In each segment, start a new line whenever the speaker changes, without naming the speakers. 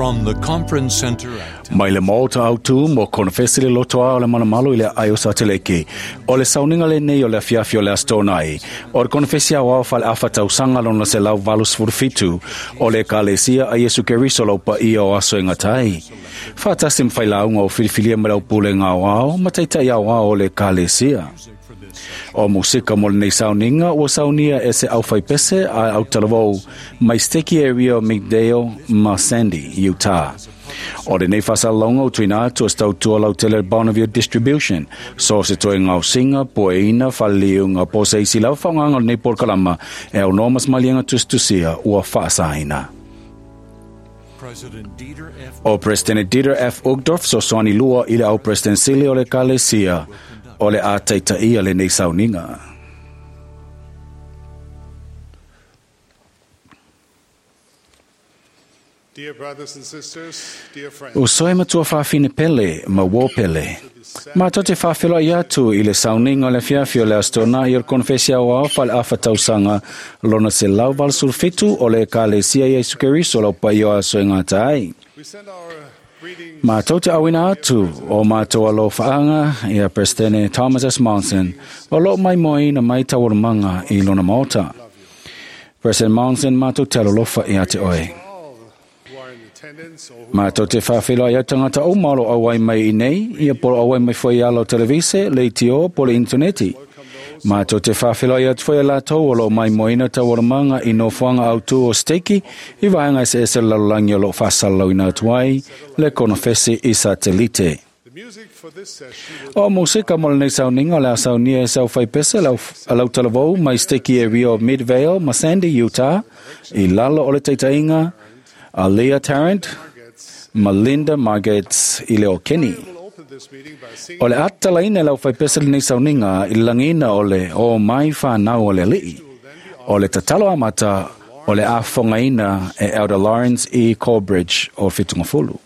From the Conference Center at
Mai le maota autu mo konofesi le lotoa o le manamalo i le aio sateleke. O le sauniga lenei o le afiafi o le Aso Toonai. O le konofesi aoao faaleafa tausaga lona 187 o le Ekalesia a Iesu Keriso lau paia o aso e gata ai. Faatasi ma failauga o filifilia ma le aupulega aoao ma taitai aoao o le Ekalesia. O musika mo lenei sauniga ua saunia e se aufaipese a autalavou mai Steki area o Migdale ma Sandy, Utah. O lenei faasalalauga ua tuuina atu e se tautua lautele Bonneville Distribution, so se toe gaosiga, pueina, faleliuga po o se isi lava faaaogaga o lenei polokalama e aunoa ma se maliega tusitusia ua faasaina.
President Dieter F.
O Presidente Dieter F. Uchtdorf fesoasoani lua i le au Presidente o le Ekalesia o le a taitaia lenei sauniga.
Dear brothers and sisters, dear friends,
Uso e matua faafine pele ma uō pele. Matou te faafeiloai atu i le sauniga o le afiafi o le Aso Toonai o le Konofesi Aoao faaleafa tausaga lona 187 o le Ekalesia Iesu Keriso lau paia o aso e gata ai.
we send our greetings
Matou te auina atu o matou alofaaga ia Presidente Thomas S. Monson o loo maimoaina mai taualumaga i lona maota. President Monson, matou te alolofa ia te oe.
all who are in attendance or who
Matou te faafeiloai ai tagata uma o lo auai mai i nei, ia po o auai mai foi i ala o televise, leitio, po o le interneti. Matou te faafeiloai atu foi ia latou o lo o maimoaina taualumaga i nofoaga autū o Steki i vaega eseese o le lalolagi o lo o faasalalauina atu ai le konofesi i satelite.
the music for this session will
O musika mo lenei sauniga o le a saunia e se aufaipese lau, lautalavou mai Steki area o Midvale ma Sandy, Utah, i lalo o le taitaiga a Leah Tarrant ma Linda Margates i le o Kenny.
will open this meeting by singing
O le atalaina e lau faipese lenei sauniga i le lagiina o le o mai whanau o le alii. O le tatalo amata o le afogaina e Elder Lawrence E. Corbridge o Fitungafulu.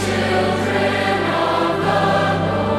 Children of the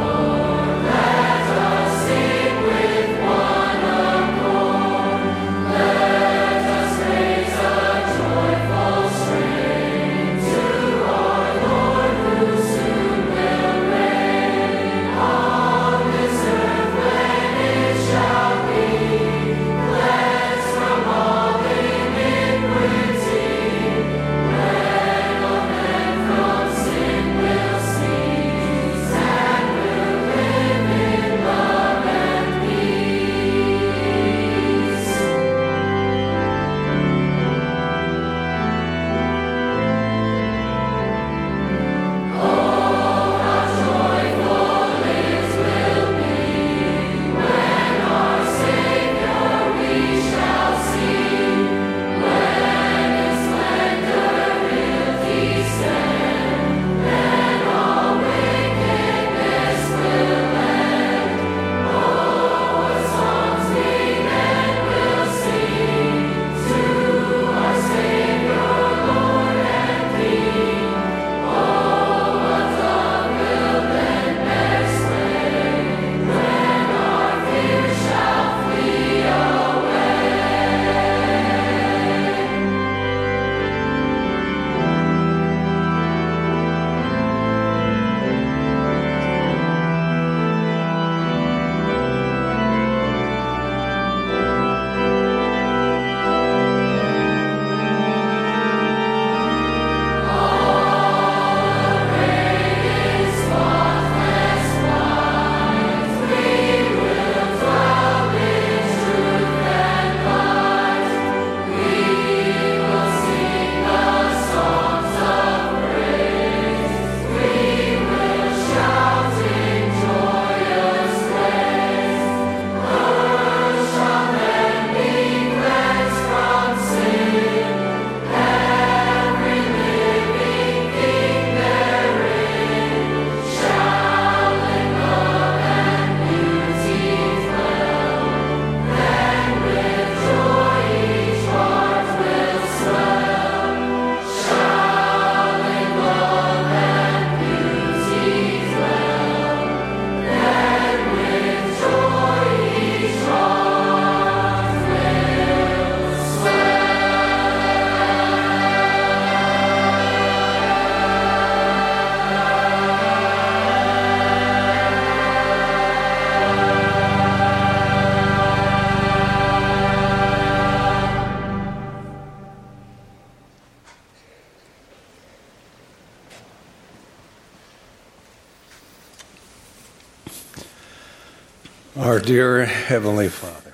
Our dear Heavenly Father,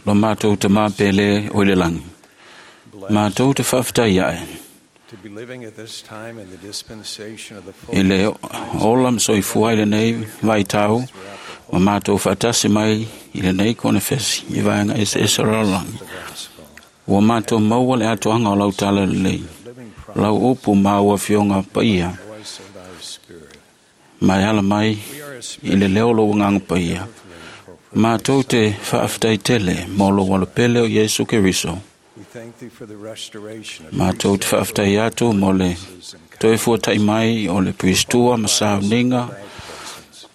Lo mātou te māpele o le langi. Mātou te whawhitai ae.
to be living at this time in the dispensation of the
I le ola msoifua i le nei vai tau, ma mātou whaatasi mai i le nei konefesi i vaenga ese ese o le lalolagi.
gospel,
Ua mātou maua le atoaga o lau tala lelei.
living
Lau upu ma ua fioga paia,
voice of thy Spirit.
mai ala mai
We are
i le leo lo nganga paia. Mātou te whaaftai tele mō lo walapele o Yesu Keriso.
We thank thee for the restoration of
Mātou te whaaftai atu mō le toe fuatai mai o le Pristua ma sauninga
thy presence.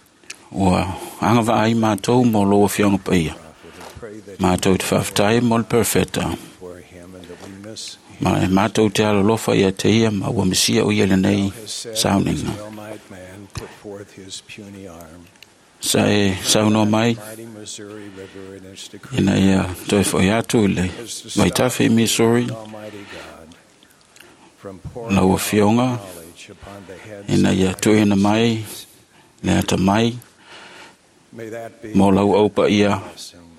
ua anga vaai mātou mō lo fioga paia.
Prophet, and pray that
Mātou te whaaftai mō le perfeta.
for him and that we miss him.
Ma e mātou te alolofa ia te ia ma ua misia o ia le nei
Has said, as
sauninga.
well might man put forth his puny arm.
Sa e saunoa mai
Mighty Missouri River and its decree
ina ia toe foi atu i le
is to stop
vaitafe i Missouri
the Almighty God from pouring
lau
out
afioga
knowledge upon the heads
ina
of
ia
thy
tuuina mai le ata mai
May that be
mo lau aupa ia
blessing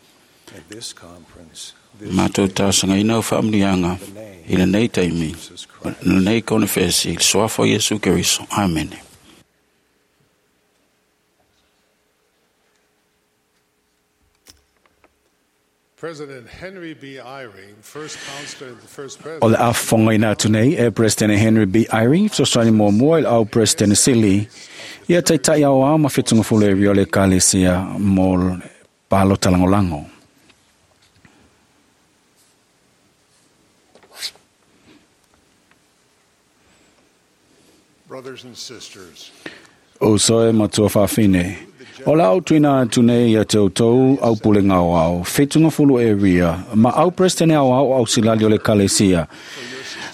at this conference, this
mātou
day,
tāsangaina o whaamunianga
the name
i le nei taimi
of Jesus Christ.
le nei konefesi i le soafa o Iesu Keriso. Amene.
President Henry B. Eyring, first counselor and the first
O le
president,
afonga ina atu nei e President Henry B. Eyring, fesoasoani muamua i le au President Sili, ia taitai au ao ma whitunga fulu e rio le kalesia mo le palo talangolango.
Brothers and sisters,
O soe matua whawhine. O la au tuina atu nei ia te outou au pule ngau au, whitunga fulu e ria, ma au President au au au silali o le kalesia,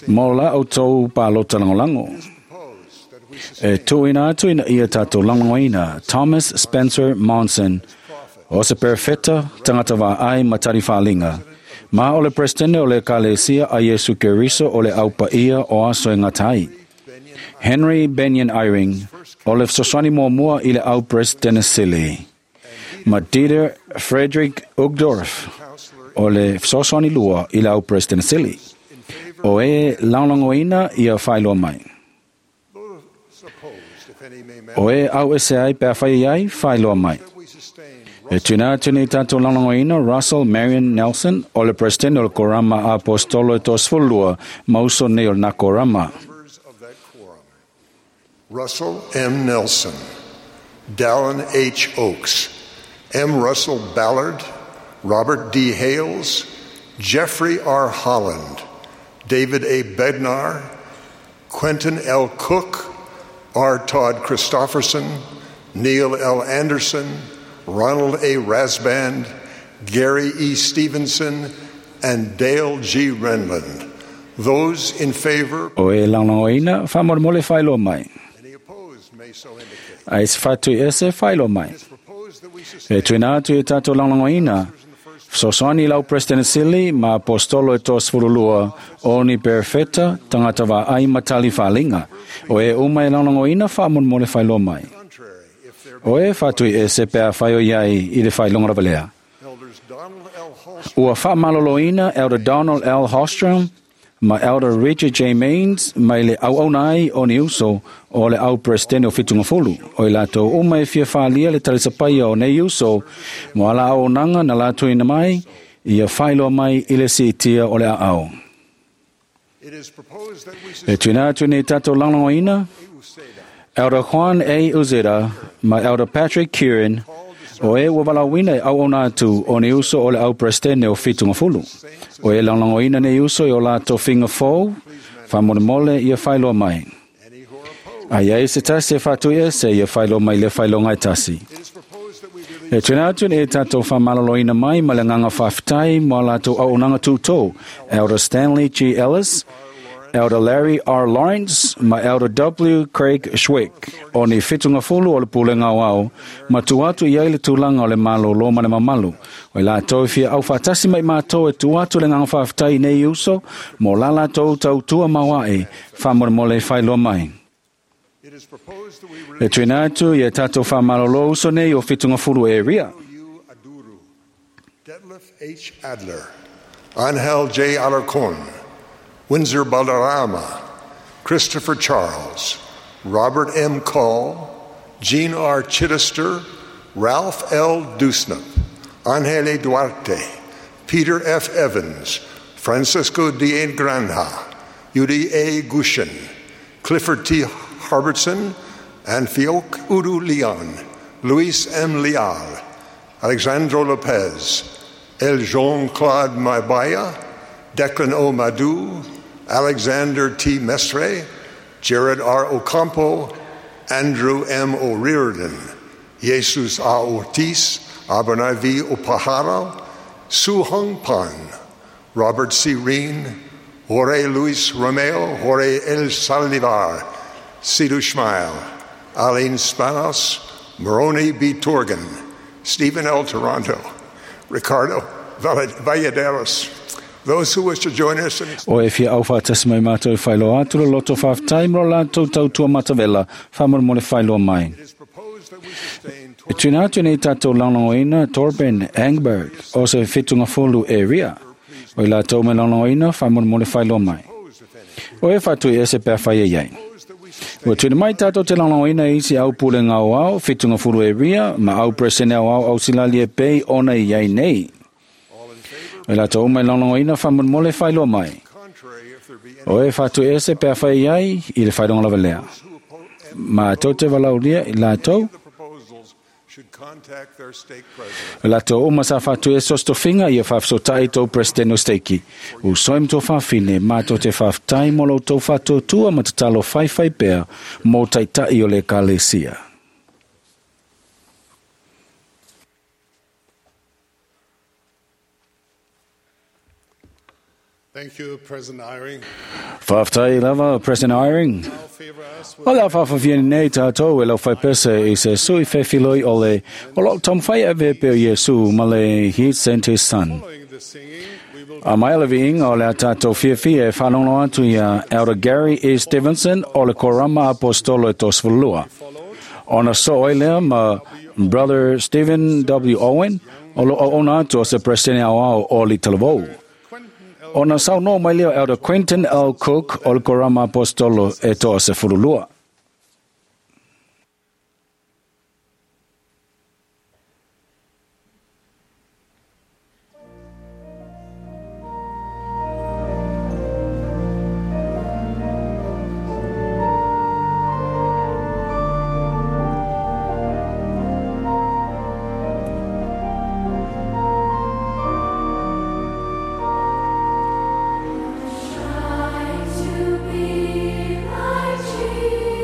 mo la outou palo talangolango.
propose that we
E
sustain
tuina atu ina ia tātou langoina, Thomas Spencer Monson, o se perfeta tangata wā ai matari whalinga. Ma o le presidente o le kalesia a Yesu Keriso o le aupa ia o aso e ngatai. Henry Benyon Eyring, o le fesoasoani muamua i le au presidente Sili. Ma Dieter Frederick Uchtdorf, o le fesoasoani lua i le au presidente Sili. O e laolongoina ia whailoa mai.
those opposed, if any may
O e au ese ai pea whai ai, whailoa mai.
that we sustain
E tūna atu nei tātou laolongoina Russell Marion Nelson, o le president o le Korama Apostolo e tōsfulua, mauso nei o nā Korama.
members of that quorum. Russell M. Nelson, Dallin H. Oaks, M. Russell Ballard, Robert D. Hales, Jeffrey R. Holland, David A. Bednar, Quentin L. Cook, R. Todd Christofferson, Neil L. Anderson, Ronald A. Rasband, Gary E. Stevenson, and Dale G. Renlund. Those in favor,
O e laolongoina, whamoremole whailoa mai.
any opposed may so indicate.
A ese whātui ese whailoa mai.
It is proposed that we
E
sustain
tuina atu i tātou laolongoina, fesoasoani lau President Sili ma Apostolo e tōsfululua o ni perfeta tangata wā ai matali whalinga. O e uma e laolongoina whamoremole whailoa mai.
contrary if there be
O e whātui e se pea whaio iai i le whailonga ravalea.
Elders Donald L. Holstrom,
Ua whaamaloloina Elder Donald L. Hostrom ma Elder Richard J. Maines mai le au aunai o ni uso o le au presidente o whitunga fulu. O i lātou uma e fia whaalia le talisapaia o nei uso mo ala au nanga na lātou ina mai ia whailoa mai i le siitia o le au.
it is proposed that we
E
sustain
tuina atu nei tātou langlangoina,
Uceda,
Elder Juan A. Uzeda ma Elder Patrick Kieran o e ua walauina e au ona atu o ni uso o le au presidente o whitunga fulu. O e langlangoina nei uso i o lātou finga fou, whamonemole ia whailoa mai.
any who are opposed.
Ai ai se tasi e whātui e se ia whailoa mai le whailoa ngai tasi.
It is proposed that we
E
release
tūna atu nei tātou whamalaloina mai ma le nganga whawhitai mo lātou au nanga tūtō. Elder Stanley G. Ellis, Elder Larry R. Lawrence, ma Elder W. Craig Schwick, o ni whitunga fulu o le pule ngau au, ma tu atu i ai le tūlanga o le malo lo ma le mamalu. O i lātou i fia au whātasi mai mātou e tu atu le nganga whawhitai nei uso, mo la lātou tau tua mauae, whamoremole whailoa mai.
It is proposed that we
E
release
tuina atu i e tātou whamalolo uso nei o whitunga fulu e ria.
you H. Adler, Angel J. Alarcon, Windsor Balderrama, Christopher Charles, Robert M. Call, Jean R. Chittister, Ralph L. Dusnap, Angele Duarte, Peter F. Evans, Francisco D. A. Granja, Yudi A. Gushin, Clifford T. Harbertson, and Fiok Udu Leon, Luis M. Leal, Alexandro Lopez, El Jean Claude Mabaya, Declan O. Madu, Alexander T. Mestre, Jared R. Ocampo, Andrew M. O'Riordan, Jesus A. Ortiz, Abernay V. Opahara, Su Hung Pan, Robert C. Reen, Jorge Luis Romeo, Jorge El Saldivar, Sidu Schmeil, Aline Spanos, Moroni B. Torgan, Stephen L. Toronto, Ricardo Valladares. Those who wish to join us in
O e fia au whaatasi mai mātou e whailoa atu le loto whaaftai mro lātou tautua matavela whamore mole whailoa mai.
It is proposed that we sustain
E tuna atu nei tātou launangoina Torben Engberg o se whitunga folu area. O i lātou me launangoina whamore mole whailoa mai. O e whatu i ese pea whai e iai. Ua tuna mai tātou te launangoina i isi au pule ngā o au, whitunga fulu area, ma au presene au au au silali e pei ona i iai nei. O i lātou mai launangoina whamore mole whailoa mai.
contrary if there be any
O e whatu ese pea whai ai i le whaidonga lava lea.
who oppose
Ma tau te walaulia i lātou,
the proposals should contact their stake president.
o lātou uma sa whatu e sostofinga i a whawhisotai tau presideno steiki. U soim tō whawhine, mā tō te whawhtai mō lo tō whātōtua ma te talo whaiwhai pea mō taitai o le kalesia.
Thank you, President Eyring.
Whawhtai lava, President Eyring.
Now favor us with
O la whawhawhia nei tātou e lau whaipese i se sui whewhiloi o le o lo tom whai ave peo Yesu ma le he sent his son.
following the singing, we will
A mai le viinga o le a tātou fiafia e whanongo atu ia Elder Gary E. Stevenson o le Korama Apostolo e Tosfulua. Ona so oi lea ma Brother Stephen W. Owen o lo ona atu o se presidente au au o li talavou.
Quentin L.
Ona sau no mai lea Elder Quentin L. Cook o le Korama Apostolo e toa se fululua.
To be like Jesus.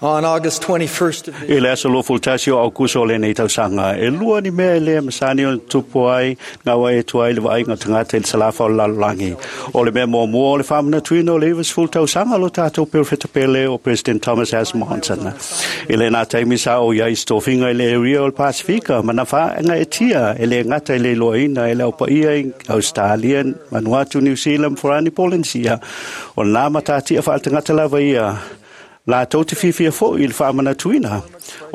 On August 21st of this
I le aso 21 o Aukuso o lenei tausaga, e lua ni mea e le masani ona tupu ai ngā wai e tua i le vaaiga o tagata i le salafa o le lalolagi. O le mea muamua o le faamanatuina o le 90 tausaga o lo tatou perofeta pele o President Thomas S. Monson. I lena taimi sa o i ai se tofiga i le area o le Pasifika ma na faagaetia e le gata i le iloaina e le aupaia i Australia, Vanuatu, New Zealand, Furani, Polynesia. O lena matatia faaletagata lava ia latou te fiafia foi i le faamanatuina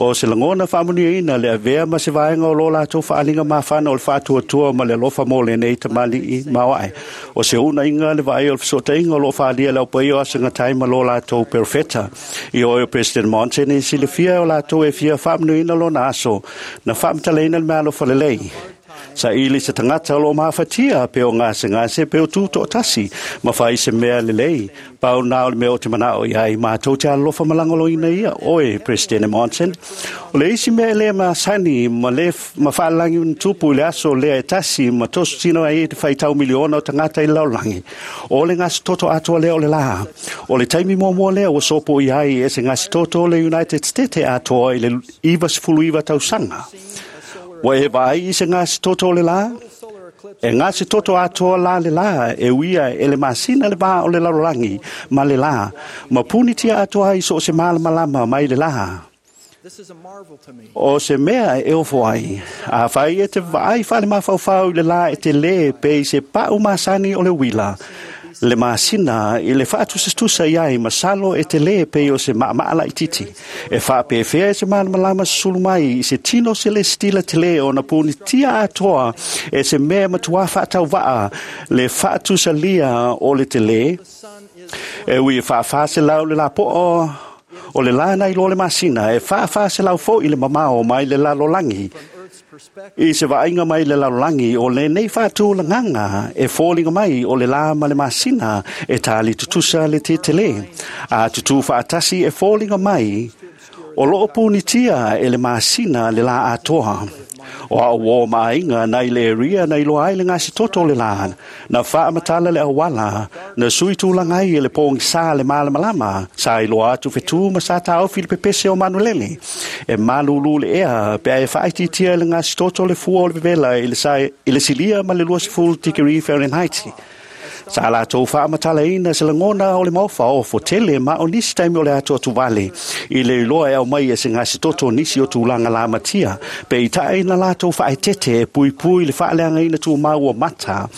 o se lagona faamanuiaina le avea ma se vaega o lo latou faaaliga mafana o le faatuatua ma le alofa mo lenei tamalii maoae. O se uunaiga le vaai o le fesootaiga o loo faaalia e le aupaia o aso gatai ma lo latou perofeta. I oe o President Monson e silafia o latou e fia faamanuiaina lona aso na faamatalaina le meaalofa lelei. Saili se tagata o lo o mafatia pe o gasegase pe o tutoatasi ma fai se mea lelei. Pau na o le mea o te manao i ai mātou te alofa ma lagolagoina ia oe, President Monson. O le isi mea e le masani ma le ma faalagi ona tupu i le aso lea e tasi ma tosotino ai te faitau miliona o tagata i le lalolagi. O le gasetoto atoa lea o le la. O le taimi muamua lea ua sopo i ai e se gasetoto o le United States atoa i le 99 tausaga. Ua e vaai i se gasetoto o le la? E gasetoto atoa la le la e uia e le masina le vā o le lalolagi ma le la. Ma punitia atoa ai so o se malamalama mai le la.
This is a marvel to me.
O se mea e ofo ai. A fai e te vaai whale mafaufau i le la e te le pe i se pau masani o le uila. Le masina i le faatusatusa i ai masalo e te le pe o se maamaa laititi. E faapefea e se malamalama susulu mai i se tino selestila tele ona punitia atoa e se mea matuā faatauvaa le faatusalia o le tele. E ui e 400 le lapoa o le la nai lo le masina, e 400 foi le mamao mai le lalolagi. I se vaaiga mai le lalolagi o lenei faatulagaga e foliga mai o le la ma le masina e tali tutusa le tetele. A tutū faatasi e foliga mai o loo punitia e le masina le la atoa. O au o maaiga nai le ria nai loa ai le gasetoto o le la. Na faamatala le auala, na sui tulaga ai e le pogisa le malamalama, sa iloa atu fetu ma sa taofi le pepese o manulele. E malulu le ea, pe a e faaitiitia e le gasetoto le fua o le vevela i le, sa, i le silia ma le 20 tikeri Fahrenheit. Sa latou faamatalaina se lagona o le maofaofo tele ma o nisi taimi o le atuatuvale i le iloa e aumai e se gasetoto nisi o tulaga lamatia pe itaʻi na latou faaetete e puipui le faaleagaina tumau o mata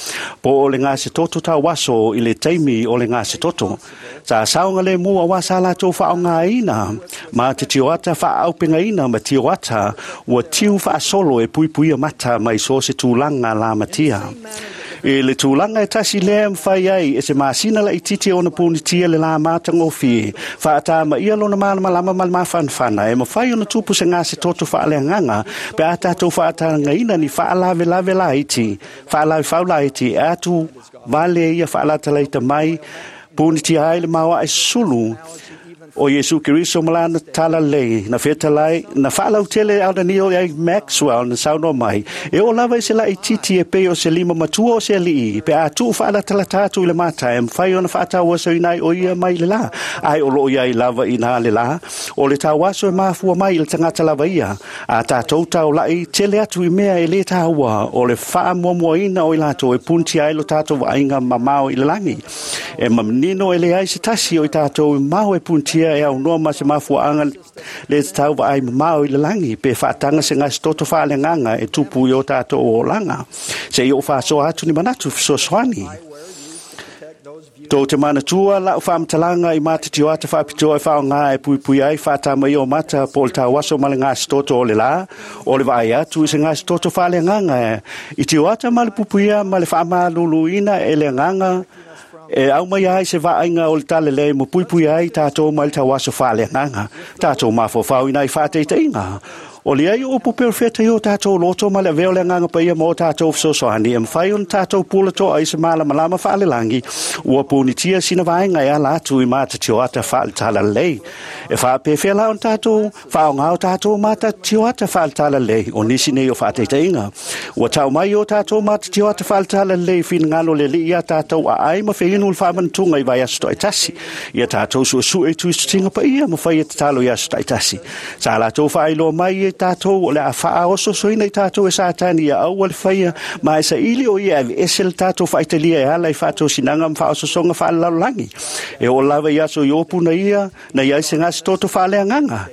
po o le gasetoto tauaso i le taimi o le gasetoto. Sa saoga le mua auā sa latou faaaogāina ma te tioata faaaupegaina ma tioata ua tiu faasolo e puipuia mata mai so se tulaga lamatia. I le tulaga e tasi lea mafai ai e se masina laititi ona punitia le la matagofie faatamaia lona malamalama ma le mafanafana e mafai ona tupu se gasetoto faaleagaga pe a tatou faatagaina ni faalavelave laiti faalavefau laiti e atu vale ia faalatalaita mai punitia ai le maoae sulu o Iesu Keriso ma lana talalelei na fetalai na faalautele aunanio ai Maxwell na saunoa mai e oo lava i se laititi e pei o se lima matua o se alii pe a tuu faalatalata atu i le mata e mafai ona faatauasoina ai o ia mai le la ai o loo iai lava i na le la o le tauaso e mafua mai i le tagata lava ia a tatou taulai tele atu i mea e lē taua o le faamuamuaina o i latou e punitia ai lo tatou vaaiga mamao i le lagi e manino e leai se tasi o i tatou i mao e punitia e aunoa ma se mafuaaga le tatau vaai mamao i le lagi pe faataga se gasetoto faaleagaga e tupu i o tatou olaga seia ou faasoa atu ni manatu fesoasoani. Tou te manatua lau faamatalaga i mata tioata faapitoa e faaaogā e puipui ai faatamaia o mata po o le tauaso ma le gasetoto o le la o le vaai atu i se gasetoto faaleagaga i tioata ma le puipuia ma le faamaluluina e le agaga e aumai ai se vaaiga o le talalelei ma puipui ai tatou mai le tauaso faaleagaga. Tatou mafaufau i nai faataitaiga. O le ai o upu perofeta i o tātou loto ma le avea o le Agaga Paia ma o tātou fesoasoani e mafai ona tātou pula toa i se malamalama faalelangi ua punitia sina vaega e ala atu i mata tioata faale-talalelei. E faapefea la ona tātou faaaoga o tātou mata tioata faale-talalelei? O nisi nei o faataitaiga. Ua tau mai o tātou mata tioata faale-talalelei finagalo le Alii iā tātou aai ma feinu le faamanatuga i vaiaso taitasi. Ia tātou suesue i tuisutiga paia ma faia tatalo i aso taitasi. Sa latou faailoa mai e tātou o le a faaososoina i tātou e Satani ia aua le faia ma e saili o ia e aveese le tātou faaitalia e ala i faatosinaga ma faaososoga faalelalolagi. E oo lava i aso Iopu na ia na i ai se gasitoto faaleagaga.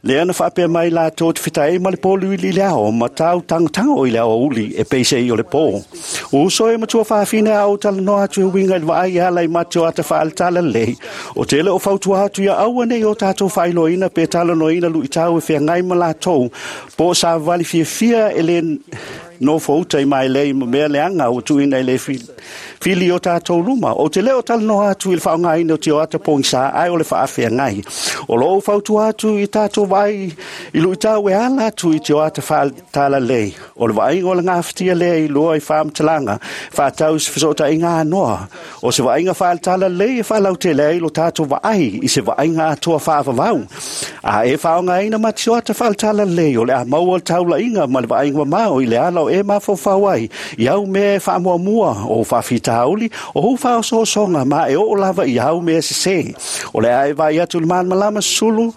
Lea na faapea mai latou te fetaai ma le polu i le ao ma tau tangotango i le aoauli e peisei o le pō. Uso e matua fafine a o talanoa atu e uiga i le vaai e ala i mate o ata faale-talalelei. O tele o fautua atu ia aua nei o tātou faailoaina pe talanoaina luitau e feagai ma latou po o savavali fiafia e le nofouta i mailei ma mea leaga ua tuuina i le fili i o tātou luma. Ou te le o talanoa atu i le faaaogaina o tioata pogisa ae o le faafeagai. O lou fautua atu i tātou vaai i luitau e ala atu i tioata faale-talalelei. O le vaaiga o le gafatia lea i lua i faamatalaga faatatau i se fesootaiga anoa. O se vaaiga faale-talalelei e faalautele ai lo tātou vaai i se vaaiga atoa faavavau. A e faaaogaina ma tioata faale-talalelei, o le a maua le taulaiga ma le vaaiga mamao i le ala o e mafaufau ai i au mea e faamuamua, o faafitauli, o ou faaosoosoga ma e oo lava i au mea sesē. O le a e vaai atu i le malamalama sulu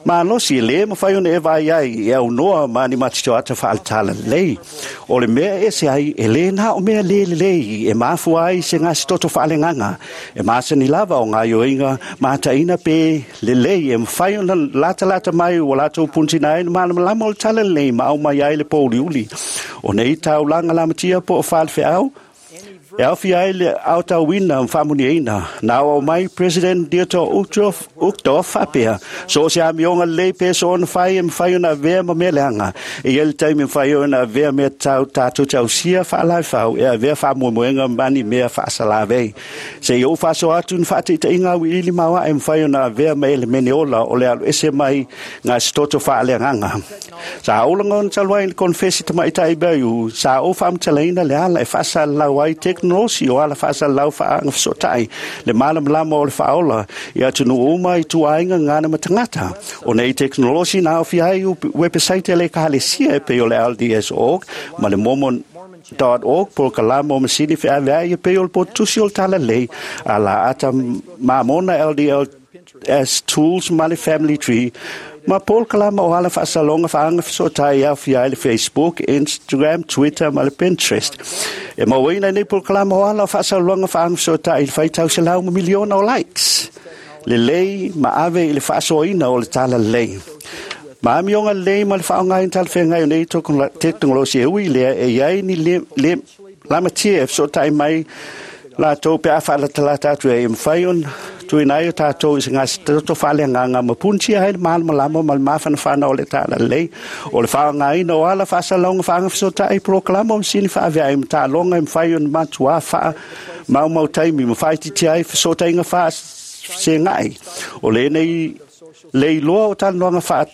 malosi e lē mafai ona e vaai ai e aunoa ma ni matitoata faale-talalelei. O le mea e ese ai, e lē na o mea lē lelei e mafua ai se gasitoto faaleagaga. E masani lava o gaoioiga mataina pe lelei e mafai ona latalata mai ua latou punitina ai le malamalama o le talalelei ma aumai ai le pouliuli. O nei taulaga lamatia po o falefeau, e aofia ai le aotauina ma faamuniaina. Na auau mai President Dieter Uchtdorf faapea, So o se amioga lelei pe soona fai e mafai ona avea ma mea leaga. E i ai le taimi e mafai ai ona avea mea tatau tatou te ausia faalaefau e avea faamoemoega ma ni mea faasalavei. Se i ou faasoa atu ni faataitaiga auiliili maoae e mafai ona avea ma elemene ola o le alu ese mai gasitoto faaleagaga. Sa ou lagona talu ai i le konefesi tamaitai Bayou, sa ou faamatalaina le ala e faasalalau ai tekonolosi o ala faasalalau faaagafesootai le malamalama o le faaola i atunuu uma i ituaiga gagana ma tagata. O nei tekonolosi na aofia ai wepesaite a le Ekalesia e pei o le LDS.org ma le Mormon.org, polokalama o masini feaveai e pei o le potutusi o le talalelei a la ata Mamona LDS Tools ma le Family Tree, ma polokalama o ala faasaloga faaagafesootai e aofia ai le Facebook, Instagram, Twitter ma le Pinterest. E mauaina i nei polokalama o ala o faasaloga faaagafesootai i le faitau selau ma miliona o likes. Lelei ma ave i le faasoaina o le talalelei. Ma amioga lelei ma le faaaogaina talafeagai o nei tekonolosi e ui lea e i ai ni le lamatia e fesootai mai latou pe a faalatalata atu ai e mafai ona tuuina ai o tatou i se gasitoto faaleagaga ma punitia ai le malamalama ma le mafanafana o le talalelei. O le faaaogaina o ala faasalalauga faagafesootai polokalama o masini faaveai ma taaloga e mafai ona matuā faamaumau taimi ma faaitiitia ai fesootaiga faasega'i. O lenei le iloa o talanoaga faa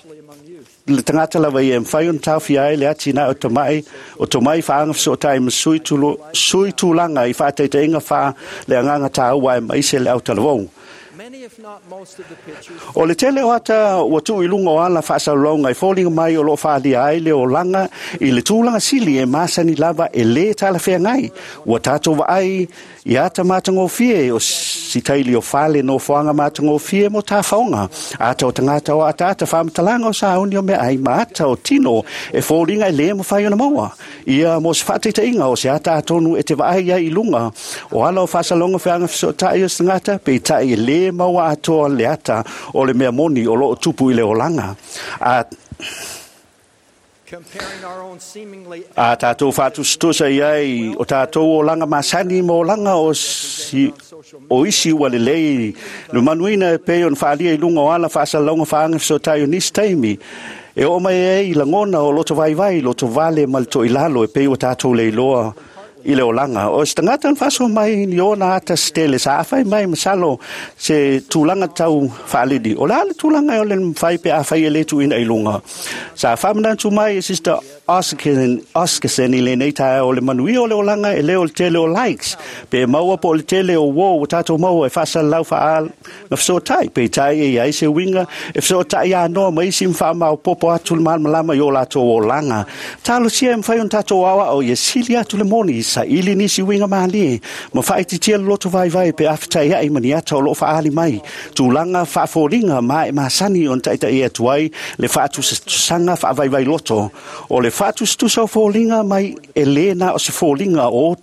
le tagata lava ia e mafai ona taofia ai le atinae o tamai o tomai faagafesootai ma sui, tulo, sui tulaga i faataitaiga faa le agaga tāua aemaise le autalavou. O le tele o ata ua tuu i luga o ala faasalalauga e foliga mai o lo o faaalia ai le olaga i le tulaga sili e masani lava e lē talafeagai. Ua tatou vaai i ata matagofie o sitaili o fale nofoaga matagofie mo tafaoga, ata o tagata o ataata faamatalaga o sauni o meaai ma ata o tino e foliga e lē mafai ona maua. Ia mo se faataitaiga o se ata atonu e te vaai ai i luga o ala o faasaloga feagafesootai o se tagata, peitai e lē maua atoa le ata o le mea moni o lo o tupu i le olaga. A A tatou faatusatusa i ai o tatou olaga masani ma olaga o, si, o isi ua lelei le manuina e pei ona faaalia i luga o ala faasalalauga faagafesootai o nisi taimi e oo mai ai i lagona o loto vaivai, loto vale ma le toilalo e pei ua tatou leiloa i le olaga. O se tagata na faasoa mai i ona ata se tele sa afai mai masalo se tulaga tau faalili. O le a le tulaga o le mafai pe afai e lē tuuina i luga. Sa faamanatu mai e Sister Oscarson i lenei taeao o le manuia o le olaga e lē o le tele o likes pe maua po o le tele o uō ua tatou maua e faasalalau faaalafesootai. Peitai e iai se uiga e fesootai anoa ma isi ma faamaopopo atu le malamalama i o latou olaga. Talosia e mafai ona tatou aoao ia sili atu le moni saili nisi uiga malie ma faaitiitia le loto vaivai pe afetaiai ma ni ata o loo faaali mai tulaga faafoliga ma e masani ona taitaia atu ai le faatusatusaga faavaivai loto. O le faatusatusa o foliga mai e lē na o se foliga o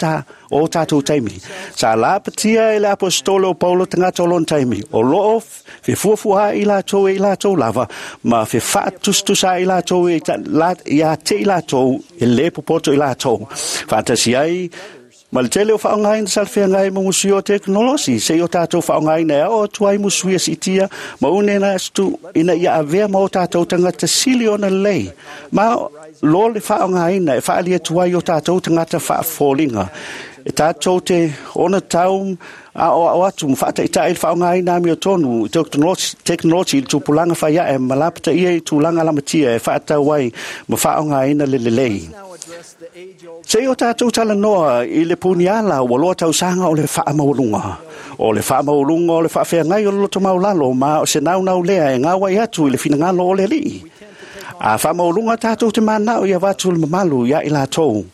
o tatou taimi. Sa lapatia e le aposetolo o Paulo tagata o lona taimi o loo fefuafua ai latou e i latou lava ma fefaatustusa ai latou e ia te i latou e lē popoto i latou. Faatasi ai ma le tele o faaaogaina salafeagai ma musui o tekonolosi seia o tatou faaaogaina e ao atu ai musuia siitia ma une atu ina ia avea ma o tatou tagata sili ona lelei ma lo le faaaogaina e faali atu ai o tatou tagata faafoliga. E tatou te ona tau aoao atu ma faataitai le faaaogaina amiotonu i tekonolosi i le tupulaga faiae ma lapataia i tulaga lamatia e faatau ai ma faaaogaina le lelei. Seia o tatou talanoa i le puniala ua loa tausaga o le faamaualuga. O le faamaualuga o le faafeagai o le loto maulalo ma o se naunau lea e gauai atu i le finagalo o le Alii. A faamaualuga tatou te manao ia avatu le mamalu ia i latou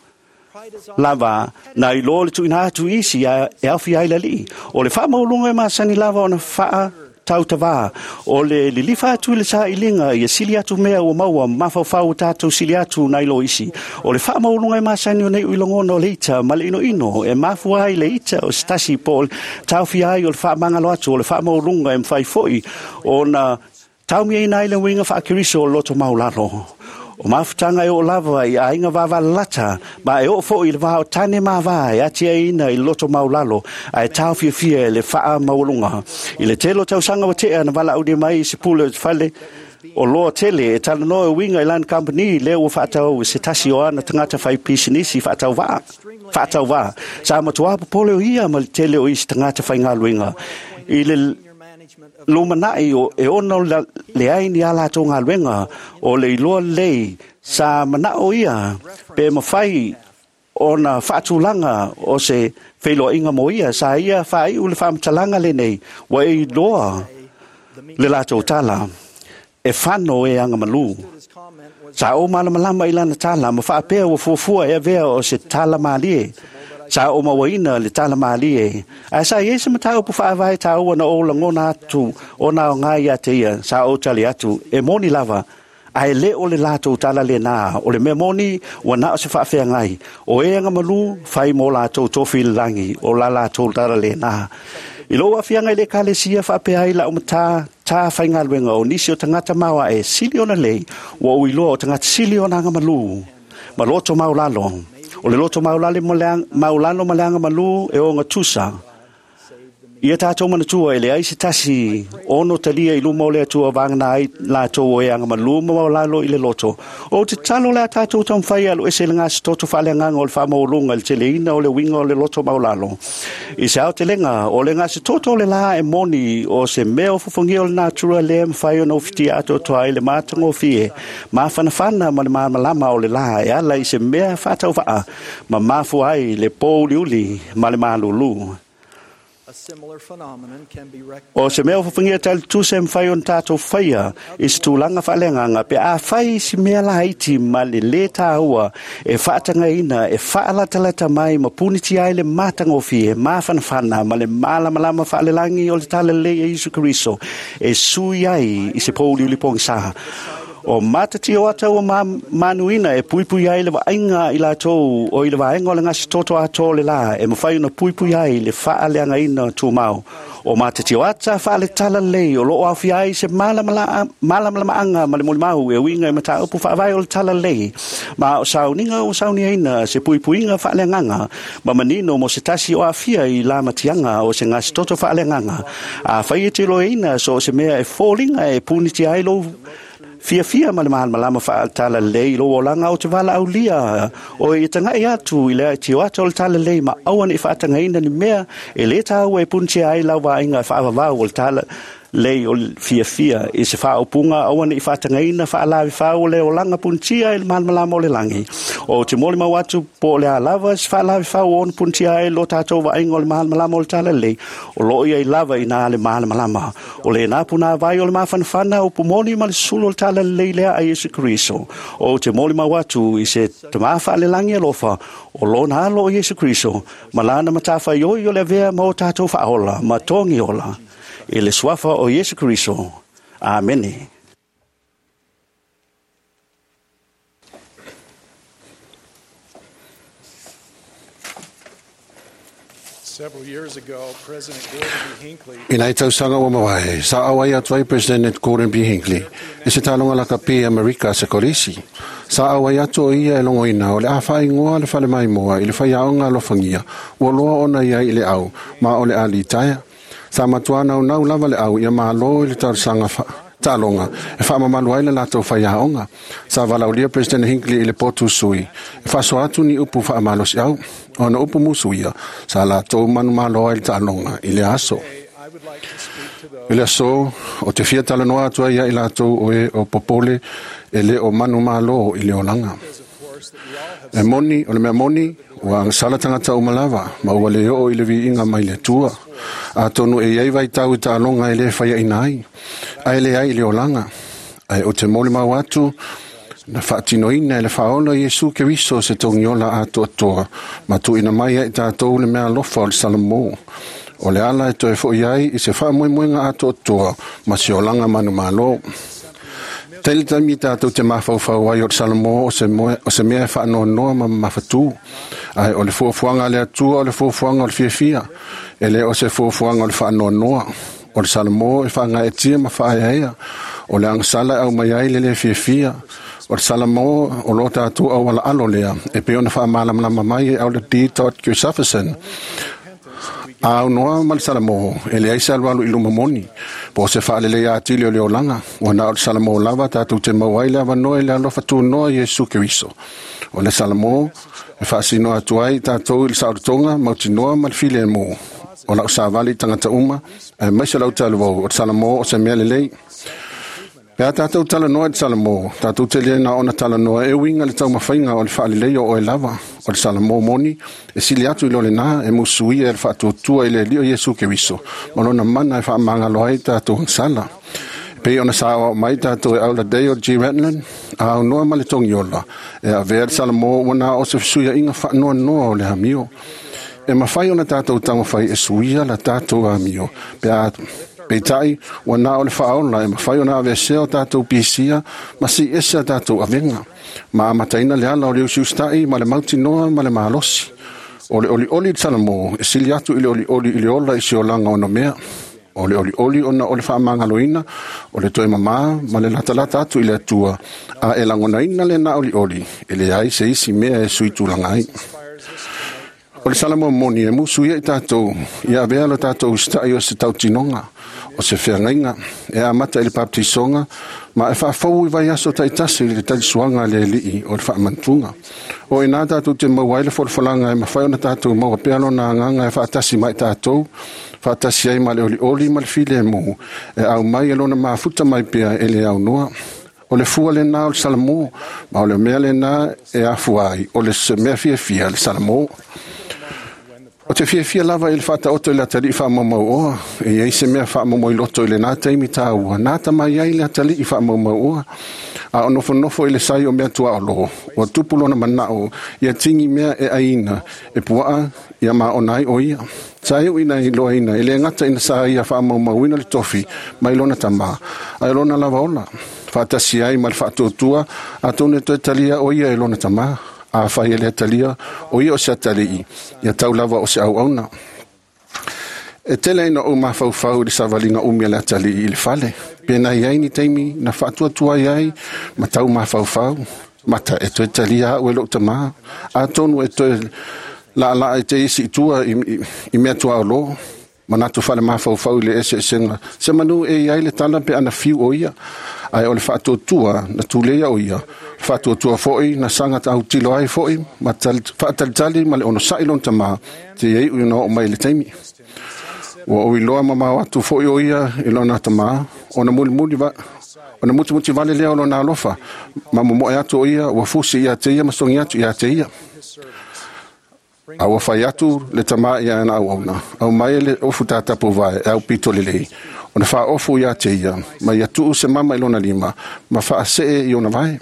lava na iloa le tuuina atu isi e aofia ai le Alii. O le faamaualuga e masani lava ona faa tautavā o le lilifa atu i le sailiga ia sili atu mea ua maua mafaufau o tatou sili atu nai lo isi. O le faamaualuga e masani ona iu i lagona o le ita ma le inoino e mafua ai le ita o se tasi po o le taofia ai o le faamagalo atu. O le faamaualuga e mafai foi ona taumiaina ai le uiga faakeriso o le loto maulalo. O mafutaga e oo lava i aiga vavalalata ma e oo foi i le va o tane mavā e atiaina i le loto maulalo ae taofiafia e le faamaualuga. I le tele o tausaga ua tea na valaaulia mai i se pule o te fale o loa tele e talanoa e uiga i lana kamupani lea ua faatau i se tasi o ana tagata fai pisinisi faatauvā. Sa matuā popole o ia ma le tele o isi tagata faigaluega i le lumanai o e ono leai ni a latou galuega o le iloa lelei. Sa manao ia pe mafai ona faatulaga o se feiloaiga mo ia. Sa ia faaiu le faamatalaga lenei ua e iloa le latou tala e fano e agamalu. Sa ou malamalama i lana tala ma faapea ua fuafua e avea o se tala malie. Sa o mauaina le tala malie. Ae sa iai se mataupu faavae taua na ou lagona atu ona aoga ia te ia. Sa ou tali atu e moni lava ae lē o le latou tala lenā. O le mea moni ua na o se faafeagai o e agamalu fai mo latou tofi i le lagi o la latou tala lenā. I lou aafiaga i le ekalesia faapea ai lau matā tā faigaluega o nisi o tagata maoae sili ona lei ua ou iloa o tagata sili ona agamalu ma loto maulalo. O le loto maulalo ma le agamalu e ogatusa. Ia tatou manatua e leai se tasi ono talia i luma o le Atua vagana ai latou o e agamalu ma maulalo i le loto. O te tatalo le a tatou taumafai e aluese le gasetoto faaleagaga o le faamaualuga i le teleina o le uiga o le loto maulalo. I se aotelega o le gasetoto o le lā e moni o se mea o fofogia o le natura lea mafai ona ufitia atoatoa ai le matagofie mafanafana ma le malamalama o le lā e ala i se mea faatauvaa ma mafua ai le pōuliuli ma le malūlū. O se mea o fofogia talitusa e mafai ona tatou faia i se tulaga faaleagaga pe afai i si mea laiti ma le lē tāua e faatagaina e faalatalata mai ma punitia ai le matagofie mafanafana ma le malamalama faalelagi o le talalelei e Iesu Keriso e sui ai i se pōuliuli pogisā. O matati o ata ua manuina e puipui ai le vaaiga i latou o i le vaega o le gasetoto atoa o le lā e mafai ona puipui ai le faaleagaina tumau. O matati o ata faale-talalelei o loo aofia ai se malamalamaaga ma le molimau e uiga i mataupu faavae o le talalelei ma o sauniga ua sauniaina se puipuiga faaleagaga ma manino mo se tasi o aafia i lamatiaga o se gasetoto faaleagaga. Afai e te iloaina so o se mea e foliga e punitia ai lou Fiafia ma le malamalama faatalalelei i lou olaga ou te valaaulia oe ia taga'i atu i le aitio ata o le talalelei ma aua ne'i faatagaina ni mea e lē tāua e punitia ai lau vaaiga faavavau o le talalelei o le fiafia i se faaupuga aua ne'i faatagaina faalavefau o le olaga punitia i le malamalama o le lagi. Ou te molimau atu po o le a lava se faalavefau o ona punitia ai lo tatou vaaiga o le malamalama o le talalelei, o loo iai lava i nā le malamalama. O lena punāvai o le mafanafana o pumoni ma le sulu o le talalelei lea a Iesu Keriso. Ou te molimau atu i se tamā faalelagi alofa o lona alo o Iesu Keriso ma lana matafaioi o le avea ma o tatou faaola ma togi ola. I le suafa o Iesu Keriso. Amene.
Several years ago, President Gordon B. Hinckley
I nei tausaga ua mavae, sa auai atu ai President Gordon B. Hinckley i se taaloga lakapi Amerika se kolisi. Sa auai atu o ia e logoina o le a faaigoa le falemaimoa i le faiaoga alofagia ua loa ona iai i le au ma o le a litaea. Sa matuā naunau lava le au ia mālō i le talosaga taaloga e faamamalu ai le latou faiaoga. Sa valaaulia President Hinckley i le potu sui e faasoa atu ni upu faamalosiau. Ona upu musuia sa latou manumalo ai le taaloga i le aso.
I would like to speak to those
I le aso o te fia talanoa atu ai ia i latou o e o popole e le o manumalo i le olaga.
of course that we all have
E moni, o le mea moni, ua agasala tagata uma lava, ma ua le oo i le viiga mai le Atua. Atonu e iai vaitau i taaloga e lē faiaina ai, ae leai i le olaga. Ae o te molimau atu, na faatinoina e le faaola Iesu Keriso se togiola atoatoa, ma tuuina mai ai tatou le mea alofa o le Salamo. O le ala e toe fo'i ai i se faamoemoega atoatoa ma se olaga manumalo. Tele taimi tatou te mafaufau ai o le Salamo o se, moe, o se mea e faanoanoa ma mafatū. Ae o le fuafuaga a le Atua o le fuafuaga o le fiafia, e le o se fuafuaga o le faanoanoa. O le Salamo e faagaetia ma faaeaea, o le agasala e aumai ai le lē fiafia. O le Salamo o lo tatou aualaalo lea, e pei ona faamalamalama mai e Elder D. Todd Christofferson. A aunoa ma le Salamo, e leai se alualu i luma moni, po o se faalelei atili o le olaga, ua na o le Salamo lava tatou te maua ai le avanoa i le alofa tunoa Iesu Keriso. O le Salamo e faasinoa atu ai tatou i le saolotoga, mautinoa ma le filemu. O lau savali i tagata uma, aemaise lau talavou, o le Salamo o se mea lelei. Pe a tatou talanoa i le Salamo, tatou te le na ona talanoa e uiga le taumafaiga o le faalelei o oe lava. O le Salamo moni, e sili atu i lo lenā e musuia e le faatuatua i le Alii o Iesu Keriso, ma lona mana e faamagalo ai tatou agasala. Pei ona saoao mai tatou e Elder Dale G. Renlund, a aunoa ma le togiola, e avea le Salamo ua na o se fesuiaiga faanoanoa o le amio. E mafai ona tatou taumafai e suia la tatou amio, pe a peitai ua na o le faaola e mafai ona aveesea o tatou pisia ma si ese a tatou avega. Ma amataina le ala o le usiusita'i ma le mautinoa ma le malosi. O le olioli i le Salamo e sili atu i le olioli i le ola i se olaga onomea. O le olioli ona o le faamagaloina, o le toe mamā ma le latalata atu i le Atua, a e lagonaina lena olioli, e leai se isi mea e sui tulaga ai. O le Salamo moni e musu ia i tatou, ia avea lo tatou usita'i o se tautinoga, o se feagaiga, e amata i le baptisoga, ma e faafou i vaiaso taitasi i le talisuaga a le Alii o le faamantuga. O i nā tatou te maua ai le folafolaga e mafai ona tatou maua pea lona agaga e faatasi mai tatou, faatasi ai ma le olioli ma le filemu, e aumai e lona mafuta mai pea e le aunoa. O le fua lenā o le Salamo, ma o le mea lenā e afua ai, o le se mea fiafia le Salamo. O te fiafia lava i le faataoto i le atalii faamaumauoa, e iai se mea faamomoi loto i lenā taimi tāua, nā tamai ai le atalii faamaumauoa. A o nofonofo i le sai o mea tuaolo, ua tupu lona manao, ia tigi mea e aina, e puaa, ia maona ai o ia. Sa iu ina i loaina, e le gata ina sa ia faamaumauina le tofi mai lona tamā, ae lona lava ola. Faatasi ai ma le faatuatua, atonu e toe talia o ia e lona tamā. Afai e le talia, o ia o se atalii, ia tau lava o se auauna. E tele ina ou mafaufau i le savaliga umi a le atalii i le fale. Pe na iai ni taimi na faatuatua ai ma tau mafaufau. Mata e toe talia au e lou tamā. Atonu e toe laalaa i te isi i tua i mea tuaolo. Manatu whale mawhauwhau i le ese esenga. Se manu e iai le tala pe ana fiu o ia. Ai o le whaatuatua na tūleia o ia. Whaatuatua foi na sanga tau tilo ai foi. Ma whaatalitali ma le ono sai lon tama. Te iei ui o mai le taimi. Ua o iloa ma mau atu foi o ia i lona tama. Ona muli muli va. Ona muti muti vale lea o lona alofa. Ma momoe atu o ia ua fusi ia te ia ma songi atu ia te ia. A ua fai atu le tama ia ana au auna. Au mai le ofu tātapu vai, au pito lelei. Ona wha ofu ia te ia, ma ia tuu se mama i lona lima, ma wha asee i ona vai.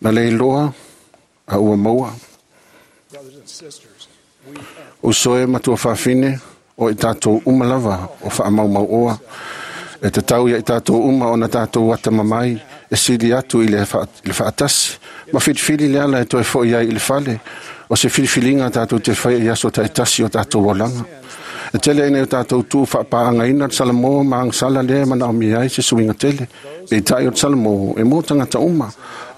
Na le iloa, a ua maua. O soe matua whawhine, o i tātou umalava, o wha maumau oa. E te tau ia i tātou uma o na tātou atamamai e sili atu i le whaatasi. Ma whiriwhiri le ala e toe fo ia i le fale. O se whiriwhiringa tātou te whai i aso taitasi o tātou olanga. E tele ina o tātou tū whapaanga ina o Salamo ma angsala lea mana o miai se suinga tele. E tai o Salamo e mō tangata uma.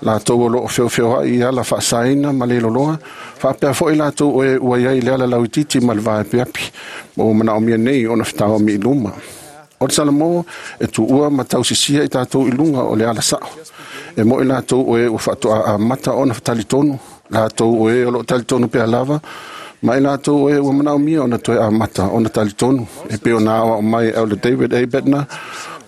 Lātou o loo whiowhio ai i ala whaasaina ma le loloa. Whaapea fo i lātou o e ua iai le ala lauititi ma le vae peapi. Ma o mana o mia nei o na whitao mi luma. O le Salamo e tuua ma tausisia i tātou i lunga o le ala sao. E mo i lātou o e ua whaatoa a mata ona whatalitonu. Lātou o e o lo talitonu pea lava. Ma i lātou o e ua manao mia ona toe a mata ona talitonu. E peo nā o mai au le David A. Bednar.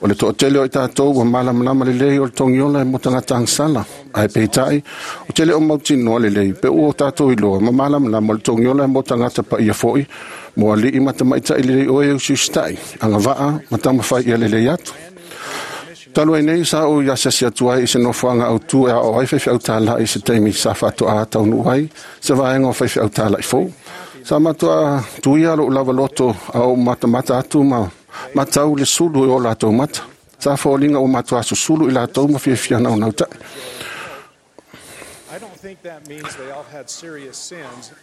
O le to'atele o i tātou ua malamalama lelei o le togiola e mo tagata agasala. Ae peitai, o tele o mautinoa lelei, pe ua o tātou iloa ma malamalama o le togiola e mo tagata paia fo'i, mo ali'i ma tamaita'i lelei oe e usiusitai, agava'a ma taumafai ia lelei atu. Talu ai nei sa ou i asiasi atu ai i se nofoaga autū e aoao ai faifeau tāla'i i se taimi sa faatoā taunuu ai se vaega o faifeau tāla'i fou. Sa matuā tuia lo'u lava loto a ou matamata atu ma matau le sulu i o latou mata. Sa foliga ua matuā susulu i latou ma fiafia naunautai.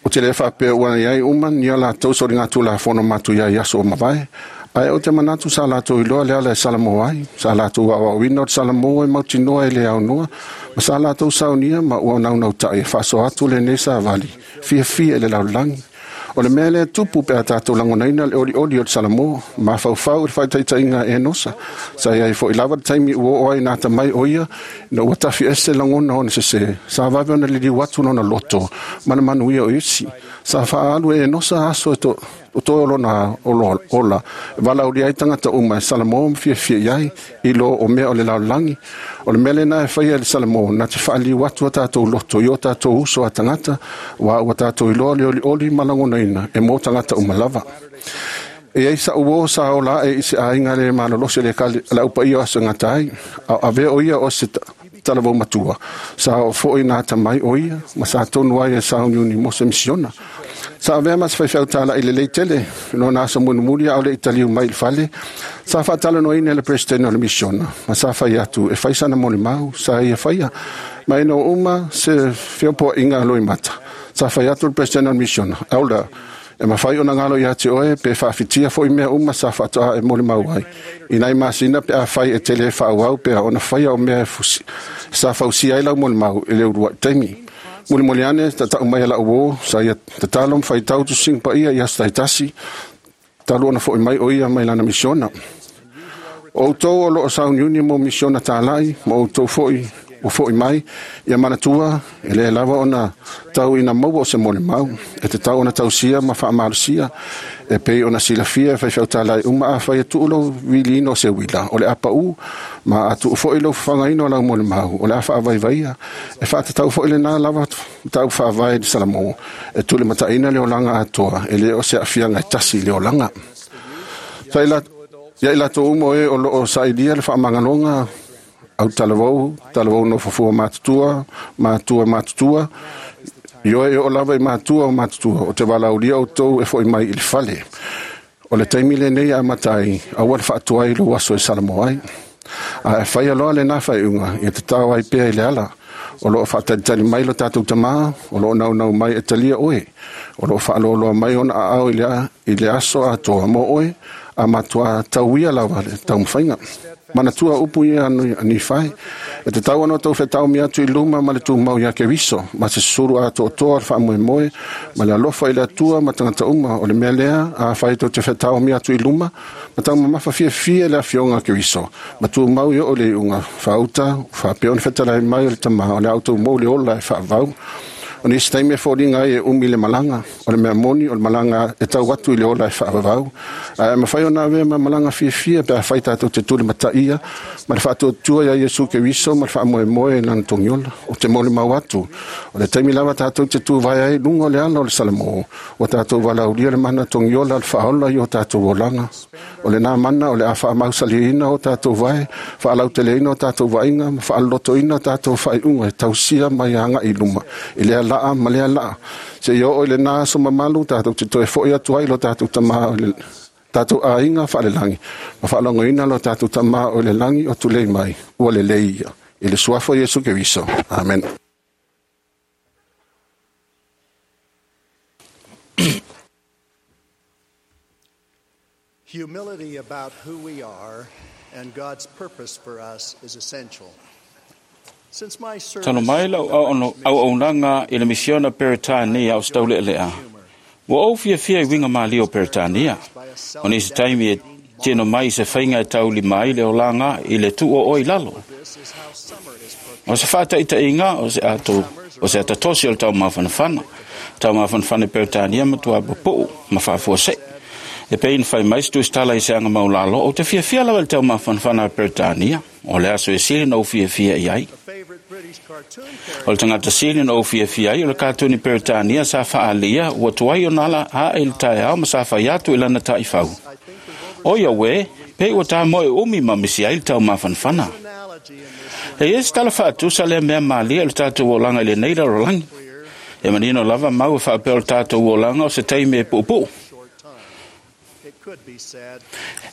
O te le whaapea ua iai uma ni a latou so ringa tū la fono matu ia i aso o mavae. Ae o te manatu sa latou iloa le ala e Salamo ai, sa latou aoaoina o te Salamo e mautinoa e le aunoa, ma sa latou saunia ma ua naunautai e faasoa atu lenei savali, fiafia i le lalolagi. O le mea lea tupu pe a tātou lagonaina le olioli o le Salamo, mafaufau i le faataitaiga e Enosa. Sa iai fo'i lava le taimi ua oo ai na atamai o ia, ina ua tafi ese lagona ona sesē. Sa vave ona liliu atu lona loto ma le manuia o isi. Sa faaalu e Enosa aso e to o toe o lona ola. E valaaulia ai tagata uma e Salamo ma fiafia i ai, i lo o mea o le lalolagi. O le mea lena e faia e le Salamo, na te faaliu atu a tātou loto i o tātou uso a tagata, ua ua tātou iloa le olioli ma lagonaina e mō tagata uma lava. E ai sa uo sa ola e i se aiga le malolosi le kale la upa ia o aso gata ai, a avea o ia o se talavou matua. Sa o fo'i nā tamai o ia, ma sa tonu ai e sauniuni mo se misiona. Sa avea ma se faifeau tāla'i lelei tele, lona aso mulimuli a o le i taliu mai i le fale. Sa faatalanoaina e le presidente o le misiona, ma sa fai atu e fai sana molimau, sa ia faia. Ma ina ua uma se feopoaiga a loimata. Sa fai atu le presidente o le misiona, elder, e mafai ona galo ia te oe pe faafitia fo'i mea uma sa faatoa e molimau ai. I nai masina pe afai e tele e faaauau pea ona faia o mea e fusi. Sa fausia ai lau molimau i le ulua'i taimi. Mulimuli ane tata'u mai a la'u uō, sa ia tatalo ma faitau tusiga paia i aso taitasi, talu ona fo'i mai o ia mai lana misiona. O outou o loo sauniuni mo misiona tāla'i, ma outou fo'i ua fo'i mai, ia manatua, e lē lava ona tau ina maua o se molimau, e tatau ona tausia ma faamalosia, e pei ona silafia e faifeau tāla'i uma afai e tuu lou viliina o se uila, o le a paʻū, ma a tuu fo'i lou fafagaina o lau molimau, o le a faavaivaia, e faatatau fo'i lenā lava mataupu faavae i le Salamo, e tulimataʻina le olaga atoa, e lē o se aafiaga e tasi i le olaga. Sa ia i latou uma o e o loo sailia le faamagaloga au talavou, talavou nofofua matutua, matua matutua, ioe e oo lava i matua o matutua, o te valaaulia outou e fo'i mai i le fale. O le taimi lenei e amata ai, aua le faatoai i lou aso e Salamo ai. A e faia loa lenā faaiuga, ia tatao ai pea i le ala. O loo faatalitali mai lo tatou tamā, o loo naunau mai e talia oe. O loo faaloaloa mai ona aao i le aso atoa mo oe, a matuā tauia lava le taumafaiga. Manatua upu ia Nifai, e te tau ana tau whetau mi atu i luma ma le tūmau ia Keriso, ma se suru a toa le whaamoemoe, ma le alofa i le atua ma tangata uma o le mea lea, a whai tau te whetau mi atu i luma, ma tau mamafa fia fia le afionga Keriso, ma tūmau i o le unga whauta, whaapeone whetalai mai o le tama, o le auto mou le ola e whaavau. O nisi taimi e fōringa ai e umi le malanga, o le mea moni o le malanga e tau atu i le ola e whaavavau. A e mawhai o nā wea ma malanga fiafia pe a whai tātou te tūle mataia, ma le whaatuatua ia Iesu Keriso ma le whaamoemoe e lana togiola, o te mole mau atu. O le taimi lava tātou te tū vai ai lunga o le ala o le Salamo, o tātou walaulia le mana togiola le whaola i o tātou olanga. O le nā mana o le a whaamausaliina o tātou vai, whaalauteleina o tātou vainga, ma whaalotoina o tātou whaiunga e tausia mai anga i luma. I lea laa ma lea laa. Se i o i le nā so mamalu tātou te toe foi atu ai lo tātou tama o le tātou ainga whaalelangi. Ma whaalongoina lo tātou tama o le langi o tulei mai. Ua le leia. I le suafo Iesu Keriso. Amen.
Humility about who we are and God's purpose for us is essential. Since my service
Tano mai lau auaunaga i le misiona Peretania o Staule'ele'a. Ua ou fiafia i uiga malie o Peretania. O nisi taimi e tino mai se faiga e taulima ai le olaga i le tu'o i lalo. O se fa'ata'ita'iga o se atatosi o le taumafanafana. Taumafanafana i Peretania matuā pupu'u ma fa'afuase'i. E pei na fai mai se tusitala i se aga maulalo, o te fiafia lava i le taumafanafana a Peretania, o le aso e sili na ou fiafia i ai. O le tagata sili na ou fiafia ai o le katuni Peretania sa fa'alia ua tuai ona ala ae i le taeao ma sa fai atu i lana ta'ifau. O ia uē, pei ua tamoe umi ma misi ai le taumafanafana. E ia se tala fa'atusa lea mea malia i le tatou olaga i lenei lalolagi. E manino lava mau e fa'apea o le tatou olaga o se taimi e pu'upu'u.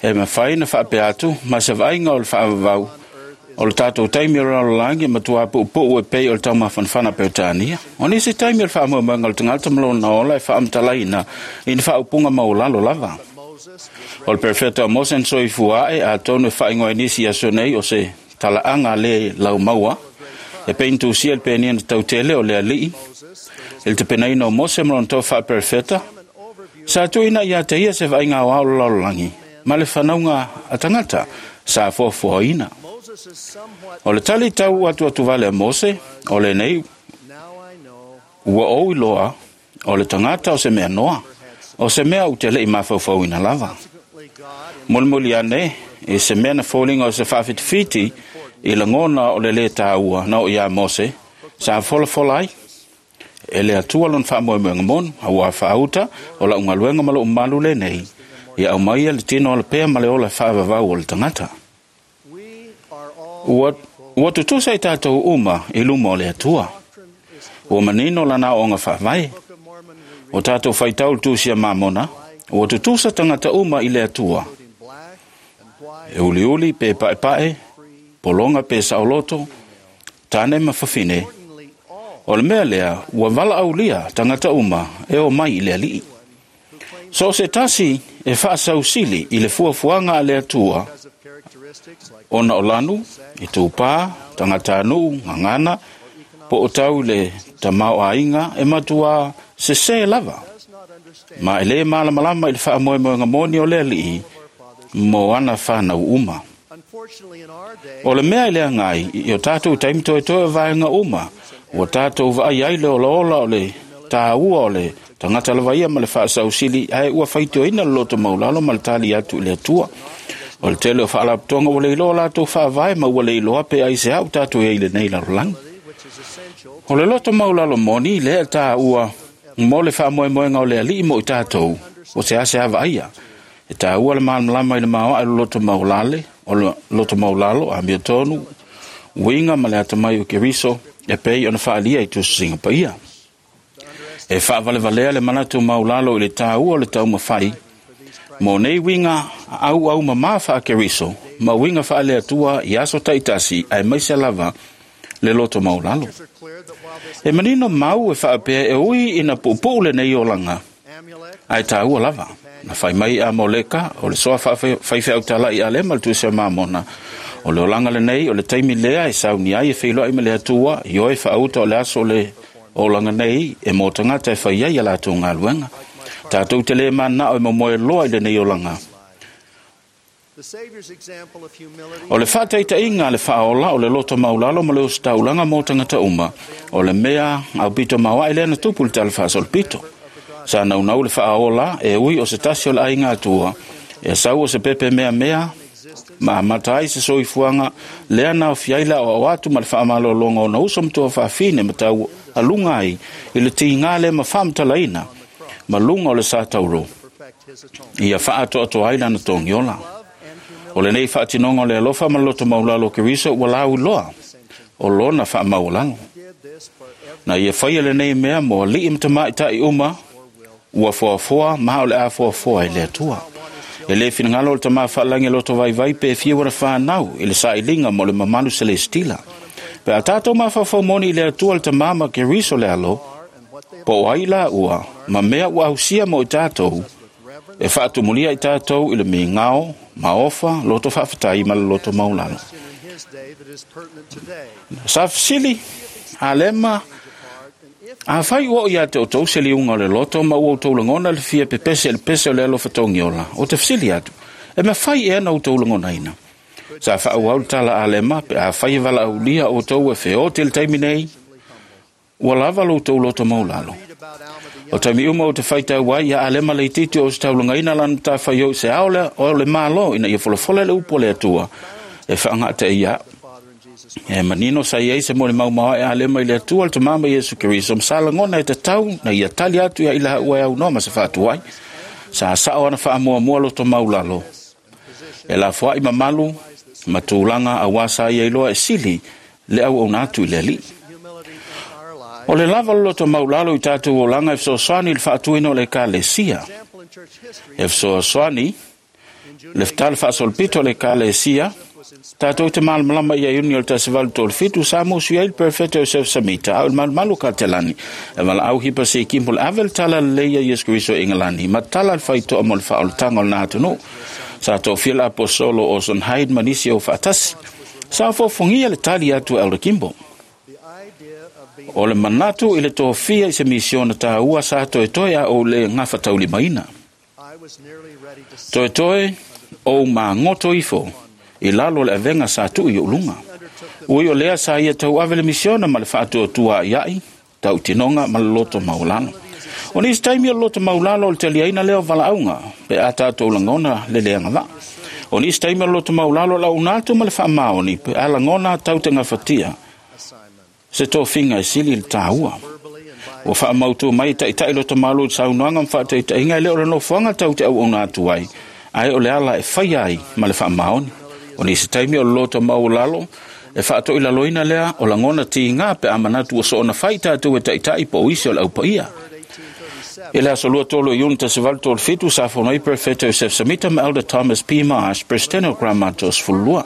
E mawhai na whaapea atu, ma se vaaiga o le fa'avavau o le tātou taimi o le lalolagi e matuā pu'upu'u e pei o le taumafanafana Peretania. O nisi taimi o le fa'amoemoega o le tagata ma lona ola e fa'amatalaina i ni fa'aupuga maulalo lava. O le perfeta o Mose na soifua a'e atonu e fa'aigoa i nisi aso nei o se tala'aga lē laumaua e pei na tusia le penia na tautele o le ali'i i le tapenaina o Mose ma lona tau fa'aperefeta. Sa tuuina ia te ia se vaaiga aoao o le lalolagi ma le fanauga a tagata sa fuafuaina. O le tali tau atu atu vale a Mose, o lenei ua ou iloa o le tagata o se mea noa, o se mea ou te le'i mafaufauina lava. Molimoli ane i se mea na foliga o se fa'afitifiti i lagona o le lē tāua na o iā Mose sa folafola ai. E le atua lona fa'amoemoega monu, auā fa'auta o la'u galuega ma lo'u malu lenei, ia aumaia le tino alapea ma le ola e fa'avavau o le tagata. Ua tutusa i tātou uma i luma o le Atua. Ua manino lana aoaoga fa'avae. O tātou faitau le tusia Mamona, ua tutusa tagata uma i le Atua. E uliuli pe pa'epa'e, pologa pe sa'oloto, tane ma fafine. O le mea lea, ua vala'aulia tagata uma e o mai i le ali'i. So se tasi e fa'asausili i le fuafuaga a le Atua, ona o lanu, i tūpā, tagata anu'u, gagana, po o tau le tamāo'aiga e matuā sesē lava. Ma e lē malamalama i le fa'amoemoega moni o le ali'i mo ana whanau uma. O le mea i le agai, i o tātou taimi toetoe o vaega uma, ua tātou vaai ai le olaola o le tāua o le tagata lava ia ma le fa'asausili ae ua faitioina le loto maulalo ma le tali atu i le Atua. O le tele o fa'alapotoga ua le iloa latou fa'avae ma ua le iloa pe ai se a'u tatou ai i lenei lalolagi. O le loto maulalo moni lea e tāua mo le fa'amoemoega o le ali'i mo i tātou, o se ase ava'aia. E tāua le malamalama i le maoa'a i le loto maulale, o le loto maulalo, a mia tonu, uiga ma le atamai o Keriso, e pei ona fa'alia i tusisiga paia. E fa'avalevalea le manatu maulalo i le tāua o le taumafai, mo nei uiga auau mamā fa'akeriso, ma uiga fa'aleatua i aso ta'itasi ae maise lava le loto maulalo. E manino mau e fa'apea e ui ina pu'upu'u lenei olaga, ae tāua lava. Na fai mai a Moleka, o le soa fa'afaife'au tala'i a lema le tusi a Mamona, O le olaga lenei o le taimi lea e sauni ai e feiloai ma le Atua i oe faauta o le aso o le olaga nei e mo tagata e fai ai a latou galuega. Tatou te le manao e momoe loa i lenei olaga. O le faataitaiga a le faaola o le loto maulalo ma le ositaulaga mo tagata uma, o le mea aupito maoae lea na tupu i le tala faasolopito. Sa naunau le faaola e ui o se tasi o le aiga Atua, e sau o se pepe meamea ma amata ai se soifuaga lea na aofia ai le aoao atu ma le faamalologa ona uso ma tuafafine ma tau aluga ai i le tiga lea ma faamatalaina ma luga o le sa tauro, ia faaatoatoa ai lana togiola. O lenei faatinoga o le alofa ma le loto maulalo o Keriso ua lauiloa o lona faamaualalo. Na ia faia lenei mea mo alii ma tamaitai uma ua foafoa ma o le a foafoa i le Atua. E le finagalo o le tamā faalagi e loto vaivai pe fia wana whānau i le sailiga mo le mamalu selestila. Pe a tātou mafaufau moni i le Atua le tamā ma Keriso le alo, po o ai la ua, ma mea ua ausia mo i tātou, e faatumulia i tātou i le migao, maofa, loto faafetai ma le loto maulalo. Sa fesili, Alema, a fai ua o ia te outou se liuga o le loto ma ua outou lagona le fia pepese i le pese o le alofa togiola, o te fesili atu, e mafai ea na outou lagonaina. Sa faaauau le tala Alema pe a fai e valaaulia outou e feote i le taimi nei, ua lava lo outou loto maulalo. O taimi uma o te faitau ai ia Alema laitiiti o se taulagaina lana matafaioi i se ao lea o le Malo ina ia folafola le upu a le Atua e faagataia. E manino sa iai se molimau maoae Alema i le Atua le Tamā ma Iesu Keriso ma sa lagona e tatau na ia tali atu ia i laua e aunoa ma se faatuai. Sa sao ana faamuamua loto maulalo. E lafoai mamalu ma tulaga auā sa ia iloa e sili le auauna atu i le Alii. O le lava o le loto maulalo i tatou olaga e fesoasoani i le faatuina o le Ekalesia. E fesoasoani le tala faasolopito o le Ekalesia, tatou te malamalama ia Iuni o le 1837 sa musu ai le Perfeto Joseph Samita au le malumalu ka te lani. E valaau hipa se kimpo le ave le tala lelei a Iesu Keriso i Ingelani ma tala le faitoa mo le faaolataga o lena atunuu. Sa tofia le aposolo Orson Hyde ma nisi o faatasi. Sa fofogia le tali atu a Elder Kimball. O le manatu i le tofia i se misiona tāua sa toetoe a o le gafataulimaina. Toetoe o magoto ifo i lalo o le avega sa tuu i uluga. Ui o lea sa ia tauave le misiona ma le faatuatua aiai, tautinoga ma le loto maulalo. O nisi taimi o le loto maulalo o le taliaina lea o valaauga, pe a tatou lagona le leaga vaa. O nisi taimi o le loto maulalo o launa atu ma le faamaoni, pe a lagona tau te gafatia se tofiga e sili le tāua. Ua faamautu mai taitai loto malo i saunoaga ma faataitaiga e le o le nofoaga tau te auauna atu ai, ae o le ala e faia ai ma le faamaoni. O nisi taimi o le loto maualalo e faatoilaloina lea o lagona tiga pe a manatu ua soona fai tatou e taitai po o isi o le aupaia. I le aso 23 o Iuni 1837 sa fono ai Perfeto Joseph Samita ma Elder Thomas P. Marsh, Presidente o Gramato o 12.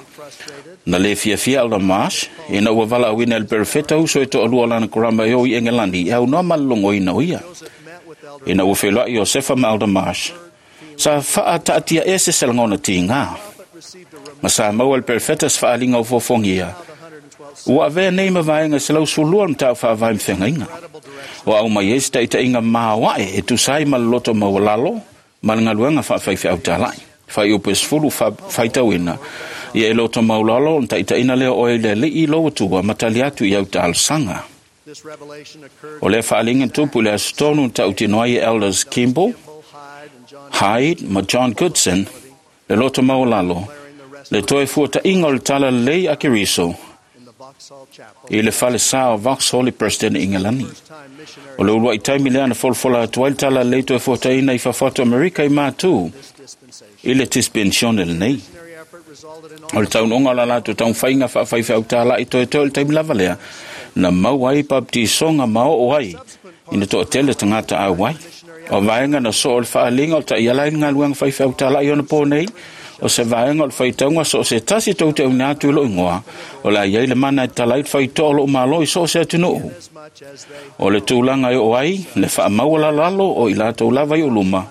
Na le fiafia Elder Marsh, ina ua valaauina e le Perfeto uso e toalua o lana karama e o i Engelani e aunoa malologoina o ia. Ina ua feiloai Iosefa ma Elder Marsh, sa faataatia ese se lagona tiga. Ma sa maua le Perfeto se faaliga o fofogia, ua avea nei ma vaega 112 le mataupu faavae ma feagaiga. O au mai ai se taitaiga maoae e tusa ai ma le loto maualalo ma le galuega faafaifeau talai. Fuaiupu e 10 faitauina. Ia e loto maulalo o taitaiina lea o oe i le Alii lou Atua ma tali atu i au talosaga. O lea faaliga tupu i le aso tonu na tautino ai e Elders Kimball, Hyde ma John Goodson le loto maualalo, le toe fuataiga o le tala lelei a Keriso i le falesa o Vauxhall i Preston i Ingelani. O le uluai taimi lea na folafola atu ai le tala lelei toe fuataina i fafo atu Amerika i matu i le dispensione lenei. O le taunuuga o la latou taumafaiga faafaifeau talai toetoe o le taimi lava lea na maua ai baptisoga ma oo ai ina toatele tagata auai. O vaega na soo o le faaliga o le taiala ai le galuega faifeau talai ona po nei, o se vaega o le faitauga so o se tasi tou te auina atu i lou igoa, o le a i ai le mana e tatala ai le faitoa o lou malo i so o se atunuu. O le tulaga e oo ai le faamaualalalo o i latou lava i ou luma,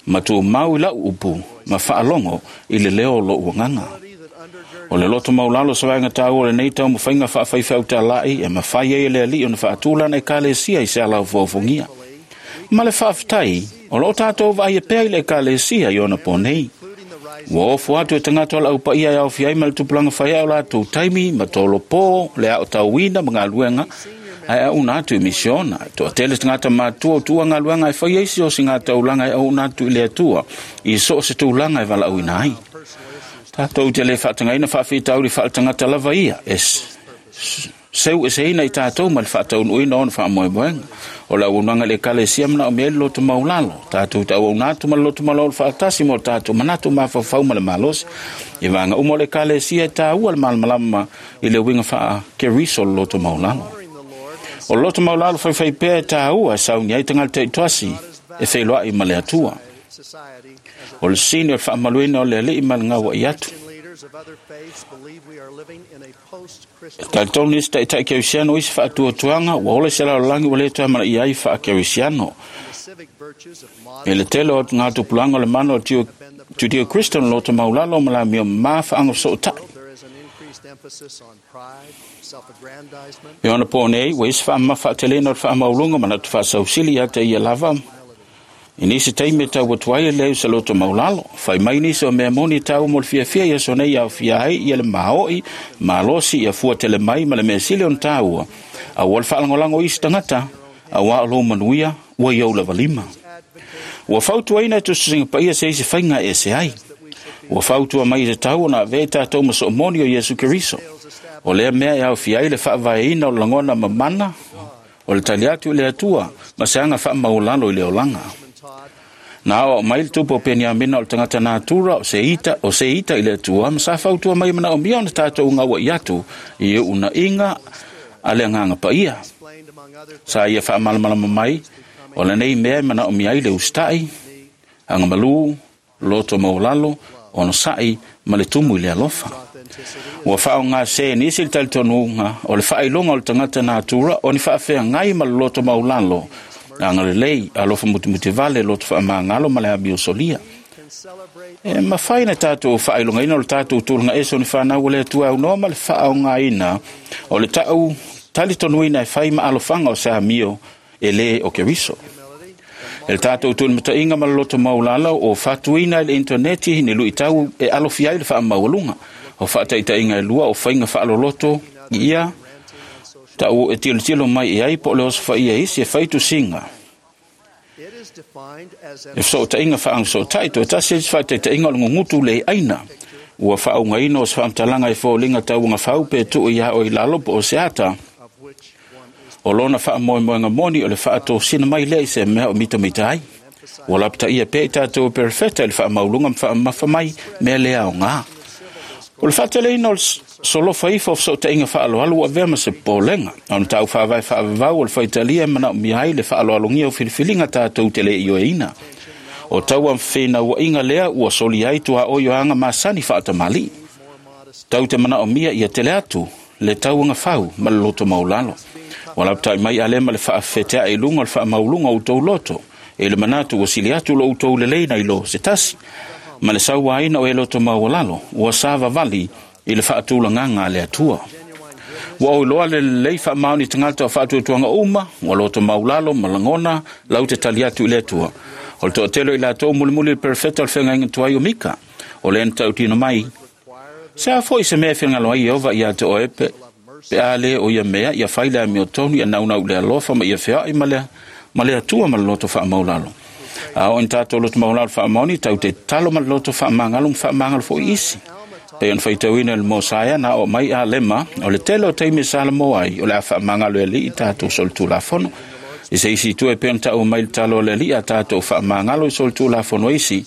ma tumau i lau upu, ma faalogo i le leo o lou agaga. O le loto maulalo sa vaega taua o lenei taumafaiga faafaifeau talai e mafai ai e le Alii ona faatulana ekalesia i se ala ofuofogia. Ma le faafetai, o loo tatou vaaia pea i le ekalesia i ona po nei. Ua ofo atu e tagata o le aupaia e aofia ai ma le tupulaga faiae o latou taimi ma tolopo le aotauina ma galuega ae auna atu i misiona. E toatele tagata matua o tuua galuega e fai ai si o sigataulaga e auna atu i le Atua i so o se tulaga e valaauina ai. Tatou te le faatagaina faafitauli faaletagata lava ia e seu eseina i tatou ma le faataunuuina o ona faamoemoega. O le auaunaga i le ekalesia manaomia ai le loto maulalo. Tatou te auauna atu ma le loto maulalo faatasi mo tatou manatu mafaufau ma le malosi. I vaega uma o le ekalesia e taua le malamalama i le uiga faa-Keriso o le loto maulalo. O le loto maulalo faifai pea e taua e sauni ai tagata taitoasi e feiloai ma le Atua. O le sini o le faamaluina o le Alii ma le gauai atu. E talitonu nisi taitai kerisiano isi faatuatuaga ua ola i se lalolagi ua le toe amanaia ai faakerisiano. I le tele o ngā tupulaga o le mana o Judeo Christian o loto maulalo ma la amio mamā faagasootai. E ona po nei, ua isi faamamafa faatelena o le faamauluga manatu faasausili ia te ia lava. I nisi taimi e tau atu ai le leai o se loto maulalo. Fai mai nisi o mea moni e taua mo le fiafia i aso nei aofia ai ia le maoi, malosi ia fua tele mai ma le mea sili ona taua. Aua le faalagolago o isi tagata, auā o lou manuia ua i ou lava lima. Ua fautuaina e tusitusiga paia se isi faiga e ese ai. Ua fautua mai e tatau ona avea i tatou ma soomoni o Iesu Keriso. O lea mea e aofia ai le faavaeina o le lagona mamana, o le tali atu i le Atua ma se aga faamaualalo i le olaga. Na aoao mai le tupu o Peniamina o le tagata natura o se ita, o se ita i le Atua ma sa fautua mai e manaomia ona tatou gauai atu i uunaiga a le Agaga Paia. Sa ia faamalamalama mai, o lenei mea e manaomia ai le usitai, agamalu, loto maualalo, onosai ma le tumu i le alofa. Ua faaaogasē nisi le talitonuga o le faailoga o le tagata natura o ni faafeagai ma le loto maulalo, agalelei, alofa mutimutivale, loto faamagalo ma le amio solia. E mafai na tatou faailogaina o le tatou tulaga ese o ni fanau a le Atua e aunoa ma le faaaogaina o le tau talitonuina e fai ma alofaga o se amio e lē o Keriso. E le tatou tulimataiga ma le loto maulalo o fatuina i le interneti ni luitau e alofia ai le faamaualuga. O faataitaiga e lua o faiga faaloloto ia tau e tilotilo mai i ai po o le osofaia e isi e fai tusiga. E fesootaiga faagasootai toe tasi isi faataitaiga o le gugutu le aina. Ua faaugaina o se faamatalaga e foliga tauagafau pe tuu ia o i lalo po o se ata. O lona faamoemoega moni o le faatosina mai lea i se mea o mitamita ai. Ua lapataia pea i tatou e perofeta i le faamauluga ma faamamafa mai mea le aoga. O le faateleina o le solofa ifo o fesootaiga faaaloalo ua avea ma se popolega. Ona tau faavae faavavau o le faitalia e manaomia ai le faaaloalogia o filifiliga tatou te le ioeina. O taua fenauaiga lea ua soli ai tuaoi o aga masani faatamalii. Tau te manaomia ia tele atu le tauagafau ma le loto maulalo. Ua lapatai mai Alema le faafefeteae i luga o le faamauluga o outou loto. E le manatu ua sili atu lo outou lelei nai lo se tasi. Ma le sauaina o e loto maualalo, ua savavali i le faatulagaga a le Atua. Ua ou iloa le lelei faamaoni tagata o faatuatuaga uma, ua loto maulalo ma lagona lau te tali atu i le Atua. O le toatele o i latou mulimuli i le perofeta o le feagaiga tuai o Mika, o lea na tautino mai, Se a foi se mea e finagalo ai Ieova ia te oe pe, pe a lē o ia mea ia fai le amiotonu ia naunau i le alofa ma ia feoai ma le, ma le Atua ma le loto faamaulalo. A oo ina tatou loto maulalo faamaoni, tau te tatalo ma le loto faamagalo ma faamagalo foi isi. Pei ona faitauina i le Mosaia na oo mai Alema, o le tele o taimi e salamo ai, o le a faamagalo e Alii i tatou solitulafono. I se isi itu e pei ona taua mai le talo a le Alii a tatou faamagalo i solitulafono isi,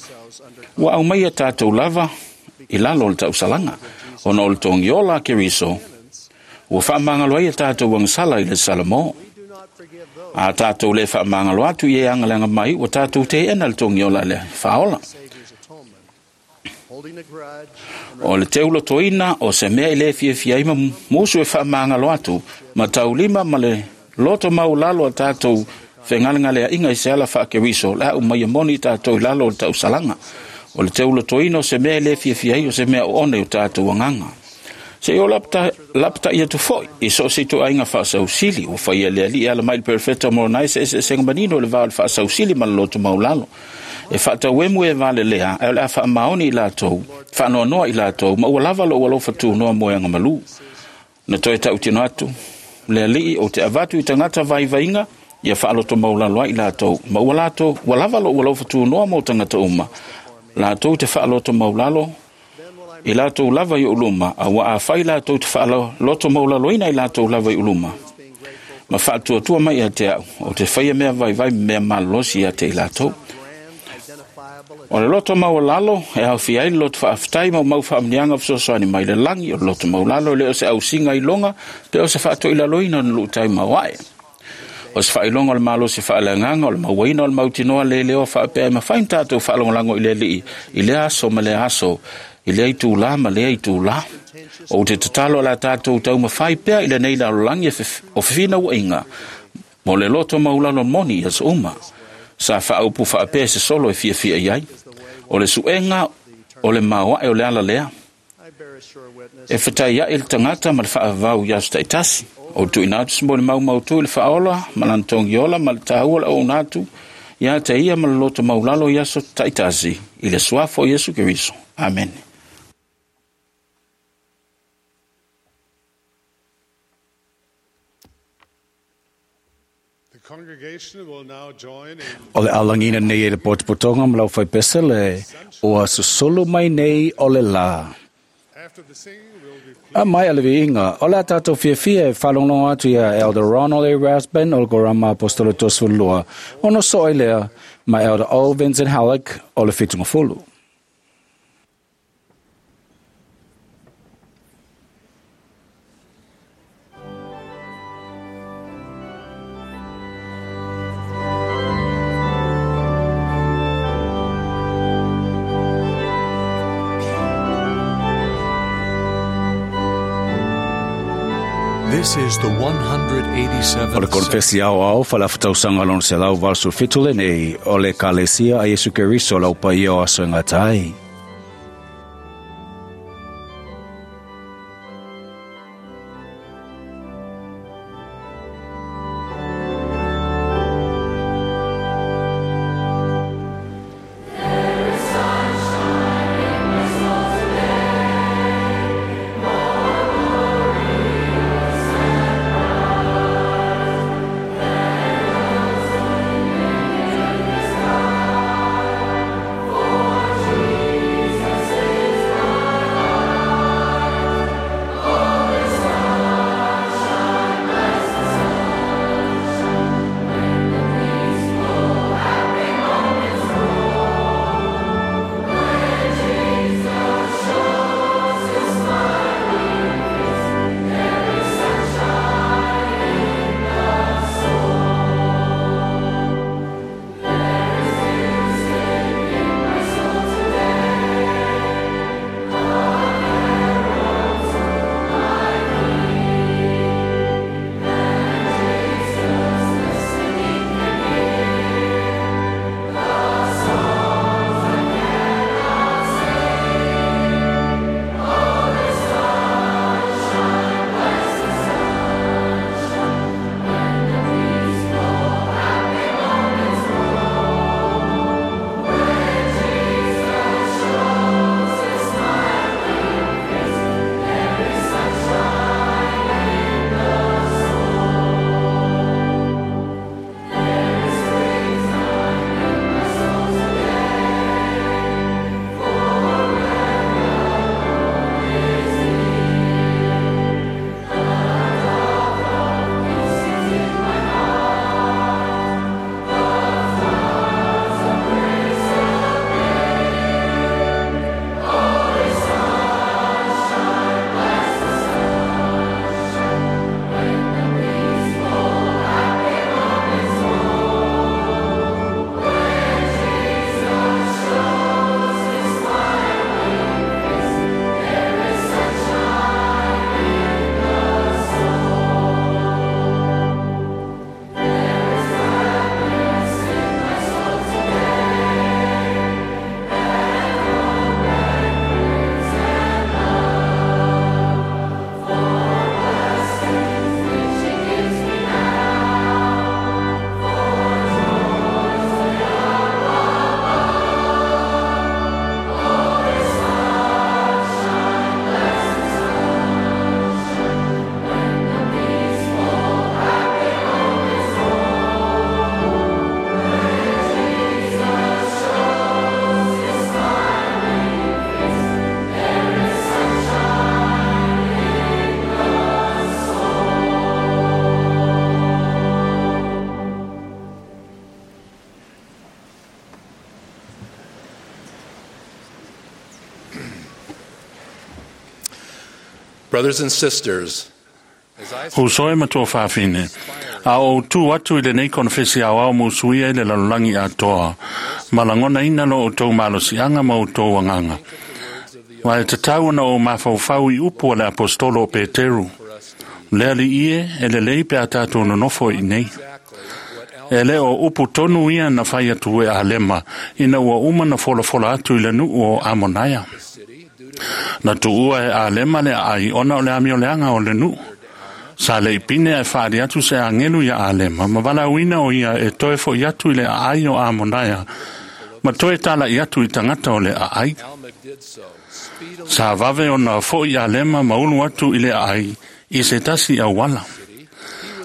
ua aumaia tatou lava i lalo o le tausalaga, ona o le togiola a Keriso, ua faamagalo ai a tatou agasala i le Salamo. A tatou le faamagalo atu i e agaleaga mai, ua tatou teena le togiola a le Faaola. O le teulotoina o se mea i le fiafia ai ma musu e faamagalo atu ma taulima ma le loto maulalo a tatou fegalegaleaiga i se ala faakeriso, o le a umaia moni i tatou i lalo o le tausalaga. O le teulotoina o se mea e le fiafia ai o se mea oona i o tatou agaga. Se o lapata'i atu fo'i i so o se ituaiga faasausili ua faia e le Alii e ala mai i le perofeta o Moronai se eseesega manino i le va o le faasausili ma le loto maulalo. E faatauemu e valelea, ae o le a faamaoni i latou, faanoanoa i latou, ma ua lava lou alofa tunoa mo e agamalu. Na toe tautino atu, le Alii ou te avatu i tagata vaivaiga, ia faaloto maulalo ai i latou, ma ua latou, ua lava lou alofa tunoa mo tagata uma, latou te faaloto maulalo, i latou lava i uluma, a ua afai latou te faaloto maulaloina i latou lava i uluma, ma faatuatua mai ia te au, o te faia mea vaivai ma mea malolosi ia te i latou. O le loto maualalo e aofia ai le loto faafetai ma mau faamanuiaga fesoasoani mai le lagi. O le loto maulalo e le o se ausiga iloga pe o se faatoilaloina o ni luutai maoae. O se faailoga o le malosi faaleagaga o le mauaina o le mautinoa leleoa faapea e mafai ona tatou faalagolago i le Alii i lea aso ma lea aso, i lea itulā ma lea itulā. Ou te tatalo o le a tatou taumafai pea i lenei lalolagi o fefinauaiga mo le loto maulalo moni i aso uma. Sa faaupu faapea se solo e fiafia i ai. O le suega o le maoae o le ala lea. E fetaiai le tagata ma le faavavau i aso taitasi. O tuuina atu se molimau mautu i le faaola ma lana togiola ma le taua o le auauna atu ia te ia ma le loto maulalo i aso taitasi i le suafa o Iesu Keriso. Amene.
The congregation will now join in
O le alagina nei e le potopotoga ma lau faipese le ua susulu mai nei o le lā.
After the singing, we'll be
A mai a le viiga, o le a tātou fiafia e faalogologo atu ia Elder Ronald A. Rasband o le Korama Apostolo 32, ona soo ai lea ma Elder O. Vincent Halleck o le Fitungafulu.
This is the
O le
187th
konfesi ao ao faalafatausaga lona 187 lenei o le Ekalesia a Iesu Keriso lau paia o aso e gata ai.
Brothers and sisters,
Uso e matua whawhine. A o tū atu i le nei konfesi au au musuia i le lalolagi atoa. Malangona ina lo o tau malosianga ma o tau anganga. Wa e tatau na o mafaufau i upu a le apostolo o Peteru. Lea li ie e le lei pe a tātou nonofo i nei. E le o upu tonu ia na whai atu e alema ina ua uma na folafola atu i le nuu o Amonaia. Na tuua e alema le ai ona o le amio leanga o le nuu. Sa le ipine e whaari atu se angelu ia alema, ma wala uina o ia e toe fo i atu i le aai o Amonaia, ma toe tala i atu i tangata o le aai. Sa vave o na fo i alema ma ulu atu i le aai i se tasi au wala.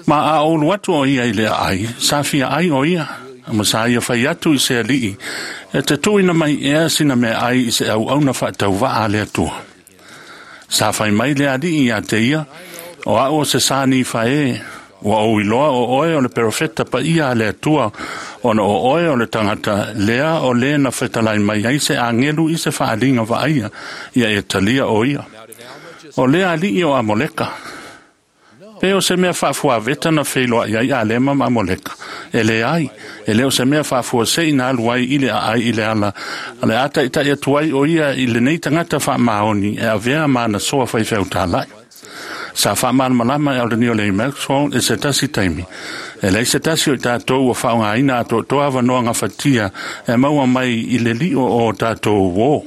Ma a ulu atu o ia i le aai, sa fia ai o ia, ma sa ia whai atu i se alii, e te tuina mai ea sina me ai i se au auna whaatau a le atua. Sa whai mai le alii ia te ia, o au o se sani whae, ua o iloa o oe o le perofeta pa ia le atua, ona o oe o le tangata, lea o le na whetalai mai ai se angelu i se whaalinga waaia, ia e talia o ia. O lea alii o Amoleka. Pe o se mea whaafua veta na wheiloa ia i alema ma Amoleka. E le ai, e leo se mea whaafua se ina alu ai i le ai i le ala. A le ata i tai atu ai o ia i le nei tangata wha maoni e avea maana soa whai wheutalai. Sa wha malama e alani o le Maxwell e se tasi taimi. E lei se tasi o i tātou o whaonga aina a tō toa wanoa ngā whatia e maua mai i le lio o tātou wō.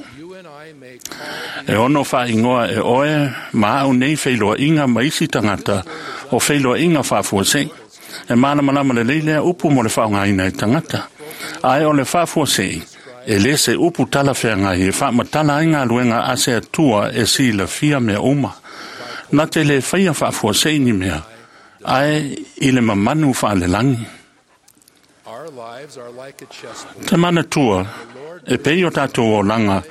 E ono wha ingoa e oe, ma au nei wheiloa inga maisi tangata o wheiloa inga whaafua se. E mana malama le leilea upu mo le whaonga aina e tangata. Ae o le whaafua se, e le se upu tala wheanga e wha matala ainga luenga a se atua e si la fia mea uma. Na te le whaia whaafua se ni mea, ae i le mamanu wha le langi. Te mana tua, e pei o tātou o langa,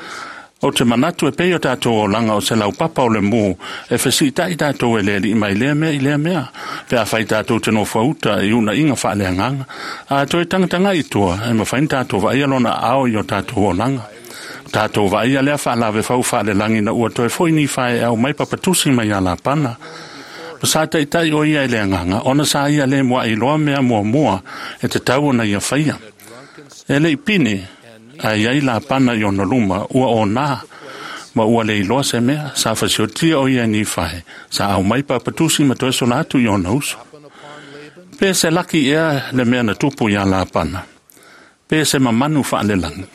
o te manatu e pei o tātou o langa o se laupapa o le mō, e whesi tai tātou e le li mai lea mea i lea mea, pe a whai tātou te no whauta i una inga wha le anganga, a toe tangatanga i tua, e mawhain tātou wa ia lona ao i o tātou o langa. Tātou wa ia lea wha whau wha le langi na ua toe foi ni whae au mai papatusi mai a la pana. Sa taitai o ia e le anganga, ona sa ia le mua i loa mea mua mua, e te tau ona ia whaia. E le ipine, a iai la pana i ona luma, ua o nā, ma ua le iloa se mea, sa whasiotia o ia ni whae, sa au mai papatusi ma toe sola atu i ona uso. Pe se laki ea le mea na tupu ia la pana. Pe se mamanu wha le langi.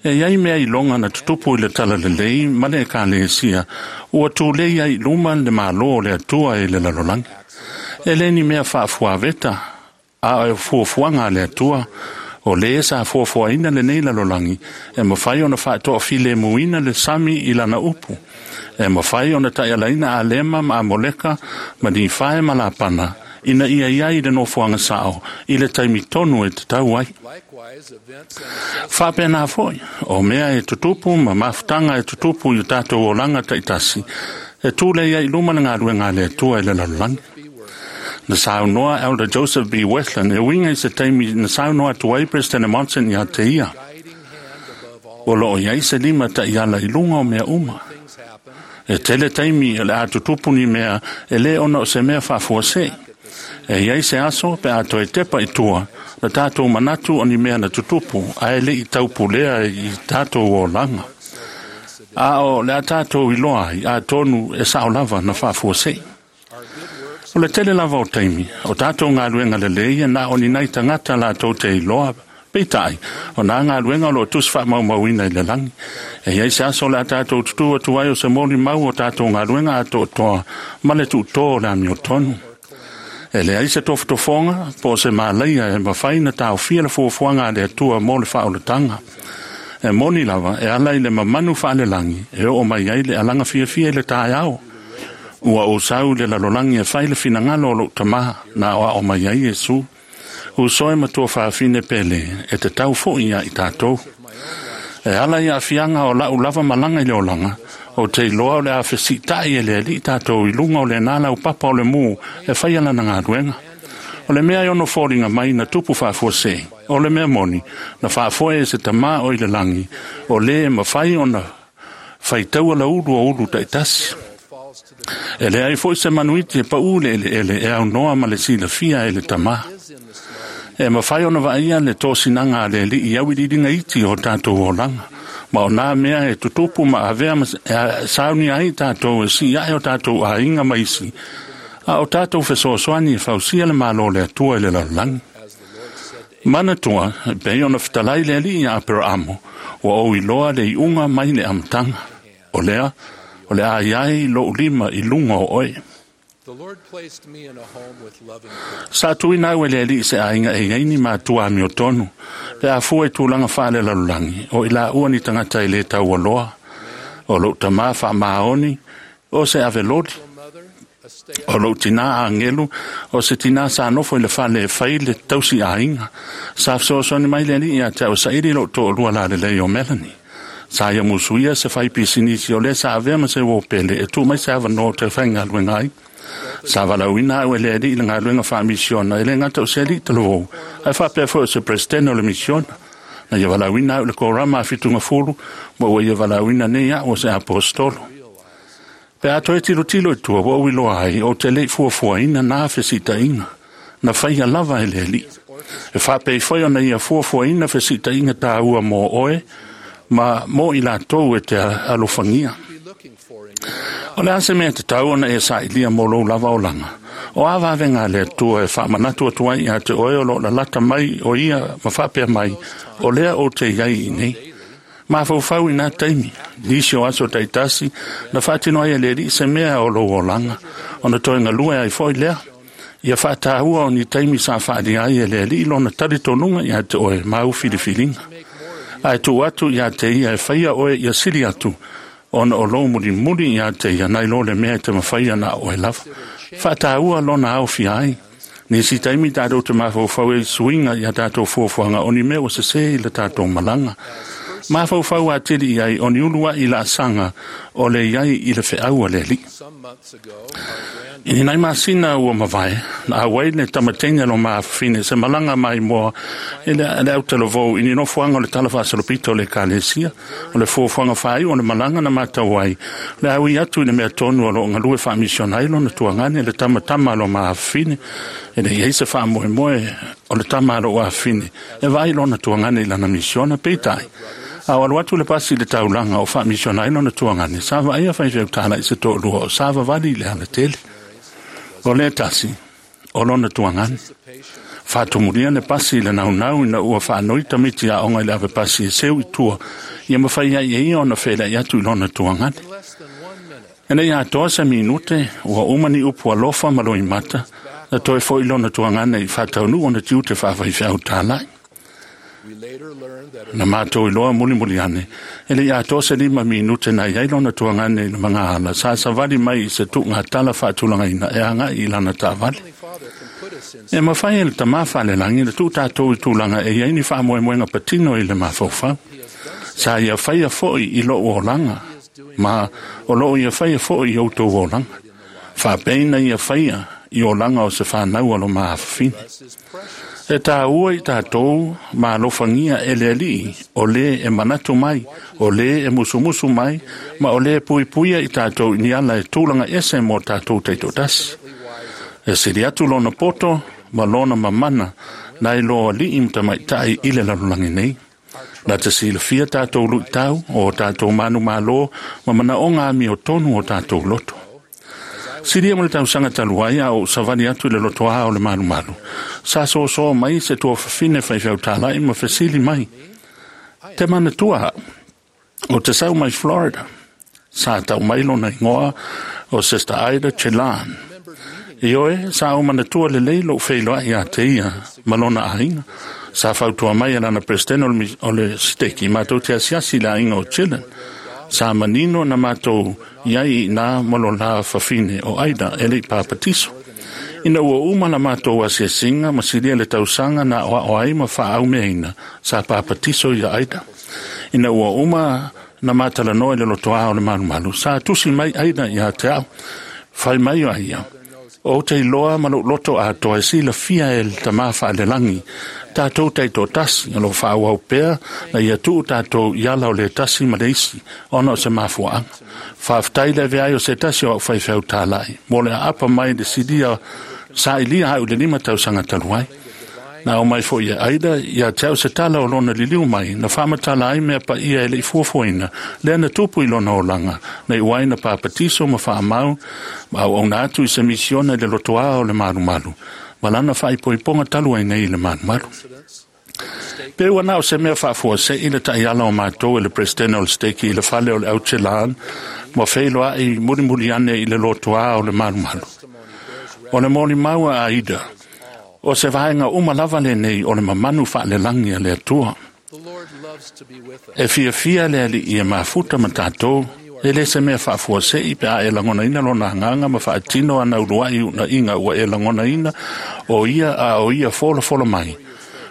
E iai mea i longa na tutupu i le tala le lei, ma le ka le sia, ua tūlei ai luma le malo le atua e le lalolangi. E le ni mea whaafuaveta, a e fuafuanga le atua, o le sa fuafuaina le nei lalolangi, e mawhai ona whaatoa file muina le sami i lana upu. E mawhai ona taialaina a lema ma Amoleka, ma ni whae ma la pana, ina ia ia i le nofoanga sao, i le taimi tonu e te tau ai. Whapena foi, o mea e tutupu ma mafutanga e tutupu i o tātou o langa taitasi, e tūle ia i luma na ngā ruenga le atua e le lalolangi. Na saunoa Elder Joseph B. Westland e winga i se taimi na saunoa tuai President Monson ia te ia. O loo iai se lima ta iala i lunga o mea uma. E tele taimi e le atutupu ni mea e le ona o se mea whaafua se. E iai se aso pe a toe tepa i tua, na tātou manatu o ni mea na tutupu, a e le i taupulea i tātou o langa. A o le a tātou i loa i a tonu e sao lava na whaafua se. O le tele lava o taimi, o tātou ngā luenga le leia na o ni nei tangata la tau te iloa, peitai, o nā ngā luenga o lo tusi wha maumauina i le langi. E iai se aso le a tātou tutu atu ai o se moli mau o tātou ngā luenga a tō toa, ma le tū tō le amio tonu. E le ai se tofotofonga, po se māleia e mawhai na tāo fia le fuafuanga a le atua mō le whaolatanga. E moni lava, e ala i le mamanu wha le langi, e o mai ai le alanga fia fia i le tāiao. Ua o sau le lalolangi e whai le finangalo o lo tamaha, na oa o mai ai Yesu. U soe matua whaafine pele, e te tau fo ia i tātou. E ala i a fianga o lau lava malanga i le olanga, o te iloa o le awhesi tai e le ali tātou i lunga o le nāla o papa o le mū e whai ala na ngā ruenga. O le mea i ono fōringa mai na tupu whaafua se, o le mea moni, na whaafoe e se tamā o i le langi, o le e mawhai ona whaitaua la ulu o ulu taitasi. E leai fo'i se manuiti e paʻū le ʻeleʻele e aunoa ma le silafia e le tamā. E mafai ona vaaia le tosinaga a le aliʻi auiliiliga iti o tatou olaga, ma o nā mea e tutupu ma avea ma e saunia ai tatou e sii aʻe o tatou aiga ma isi, a o tatou fesoasoani e fausia le malo o le Atua i le lalolagi. Manatua, e pei ona fetalai le alii ia Aperaamo, ua ou iloa le iuga mai le amataga. O lea, o le a iai lou lima i luga o oe. Sa tuuina au e le alii i se aiga e i ai ni matua amiotonu, pe a fua i tulaga faalelalolagi, o i laua ni tagata e le taualoa. O lou tamā faamaoni, o se aveloli. O lou tinā agelu, o se tinā sa nofo i le fale e fai le tausi aiga. Sa fesoasoani mai le alii ia te au e saili lou toalua lalelei o Melanie. Sa ia musuia se fai pisinisi o lea sa avea ma se uo pele e tuu mai se avanoa ou te faigaluega ai. Sa valaauina au e le alii i le galuega faamisiona, e le gata o se alii talavou, ae faapea foi o se Peresetene o le misiona. Na ia valaauina au i le korama a Fitugafulu, ma ua ia valaauina nei au o se aposetolo. Pe a toe tilotilo i tua, ua ou iloa ai, ou te le i fuafuaina na fesiitaiga, na faia lava e le Alii. E faapei foi ona ia fuafuaina fesiitaiga taua mo oe, ma mo i latou e te alofagia. O le a se mea tatau ona e sailia mo lou lava olaga? O a vavega a le Atua e faamanatu atu ai ia te oe o lo o lalata mai o ia ma faapea mai, o lea ou te i ai i inei? Mafaufau i nā taimi, nisi o aso taitasi, na faatino ai e le Alii se mea o lou olaga, ona toe galue ai foi lea. Ia faataua o ni taimi sa faaalia ai e le Alii lona talitonuga ia te oe ma au filifiliga. Ae tuu atu ia te ia e faia oe ia sili atu, ona o lou mulimuli ia te ia nai lo le mea e te mafaia na o oe lava. Faataua lona aofia ai. Nisi taimi tatou te mafaufau ai i suiga i a tatou fuafuaga o ni mea ua sesē i le tatou malaga. Mafaufau atili i ai o ni uluaʻi laasaga o le i ai i le feau a le Alii. I ni nai masina ua mavae, na auai le tamateine a lo maafafine se malaga maimoa i le autalavou i ni nofoaga o le tala faasolopito o le Ekalesia. O le fuafuaga faaiu o le malaga na matau ai, o le a ui atu i le mea tonu o lo o galue faamisiona ai lona tuagane, le tamatama a lo maafafine. E le i ai se faamoemoe o le tama a lou afafine e vaai lona tuagane i lana misiona, peitai, a o alu atu le pasi i le taulaga o faamisiona ai lona tuagane, sa vaaia faifeau talai se toalua o savavali i le alatele. O le tasi, o lona tuagane. Faatumulia le pasi i le naunau ina ua faanoi tamaiti aoga i le ave pasi e seu i tua, ia mafai ai e ia ona feiloai atu i lona tuagane. E le i atoa se minute, ua uma ni upu alofa ma loimata, na toe foi lona tuagane i faataunuu ona tiute faafaifeau talai. Na matou iloa mulimuli ane, e le i atoa se 5 minute na i ai lona tuagane i le magaala, sa savali mai i se tuugatala faatulagaina e agai i lana taavale. E mafai e le Tamā Faalelagi le tuu tatou i tulaga e i ai ni faamoemoega patino i le mafaufau. Sa ia faia foi i lou olaga, ma o loo ia faia foi i outou olaga. Faapeina ia faia i olaga o se fanau a lo maafafine. E tāua i tatou ma alofagia e le Alii, o lē e manatu mai, o lē e musumusu mai, ma o lē e puipuia i tatou i ni ala e tulaga ese mo tatou taitoatasi. E sili atu lona poto ma lona mamana nai lo alii ma tamaitai i le lalolagi nei. Na te silafia tatou luitau o tatou manumalo ma manaoga amiotonu o tatou loto. Silia ma le tausaga talu ai a ou savali atu i le lotoā o le malumalu, sa sosoa mai se tuafafine faifeau talai ma fesili mai, Te manatua au, o te sau mai Florida. Sa tau mai lona igoa o Sister Ida Chelan. Ioe, sa ou manatua lelei lou feiloai ia te ia ma lona aiga. Sa fautua mai e lana Peresetene o le siteki matou te asiasi i le aiga o Chillen. Sa manino na matou i ai i ina ma lo la fafine o Aida e le i papatiso. Ina ua uma la matou asiasiga ma silia le tausaga na aoao ai ma faaaumeaina, sa papatiso ia Aida. Ina ua uma na matalanoa i le lotoā o le malumalu, sa tusi mai Aida ia te au. Fai mai ai ia, O te iloa ma lou loto atoa e silafia e le Tamā faalelagi tatou taitoatasi o loo faaauau pea na ia tuu tatou i ala o le tasi ma le isi ona o se mafuaaga. Faafetai le ave ai o se tasi o au faifeau talai mo le aapa mai le silia sailia au i le 5 tausaga talu ai. Na o mai foi e Aida ia te au se tala o lona liliu mai na faamatala ai mea paia e le i fuafuaina lea na tupu i lona olaga na iu ai na papatiso ma faamau ma auauna atu i se misiona i le lotoā o le malumalu ma lana faaipoipoga talu ai nei i le malumalu. Pe ua na o se mea faafuasei le taiala o matou e le Presidente o le Steki i le fale o le Autelan ma feiloai mulimuli ane i le lotoā o le malumalu. O le molimau a Aida, o se vaega uma lava lenei o le mamanu faalelagi a le Atua. E fiafia le Alii e mafuta ma tatou, e le se mea faafuasei pe a e lagonaina lona agaga ma faatino ana uluai uunaiga ua e lagonaina o ia a o ia folafola mai.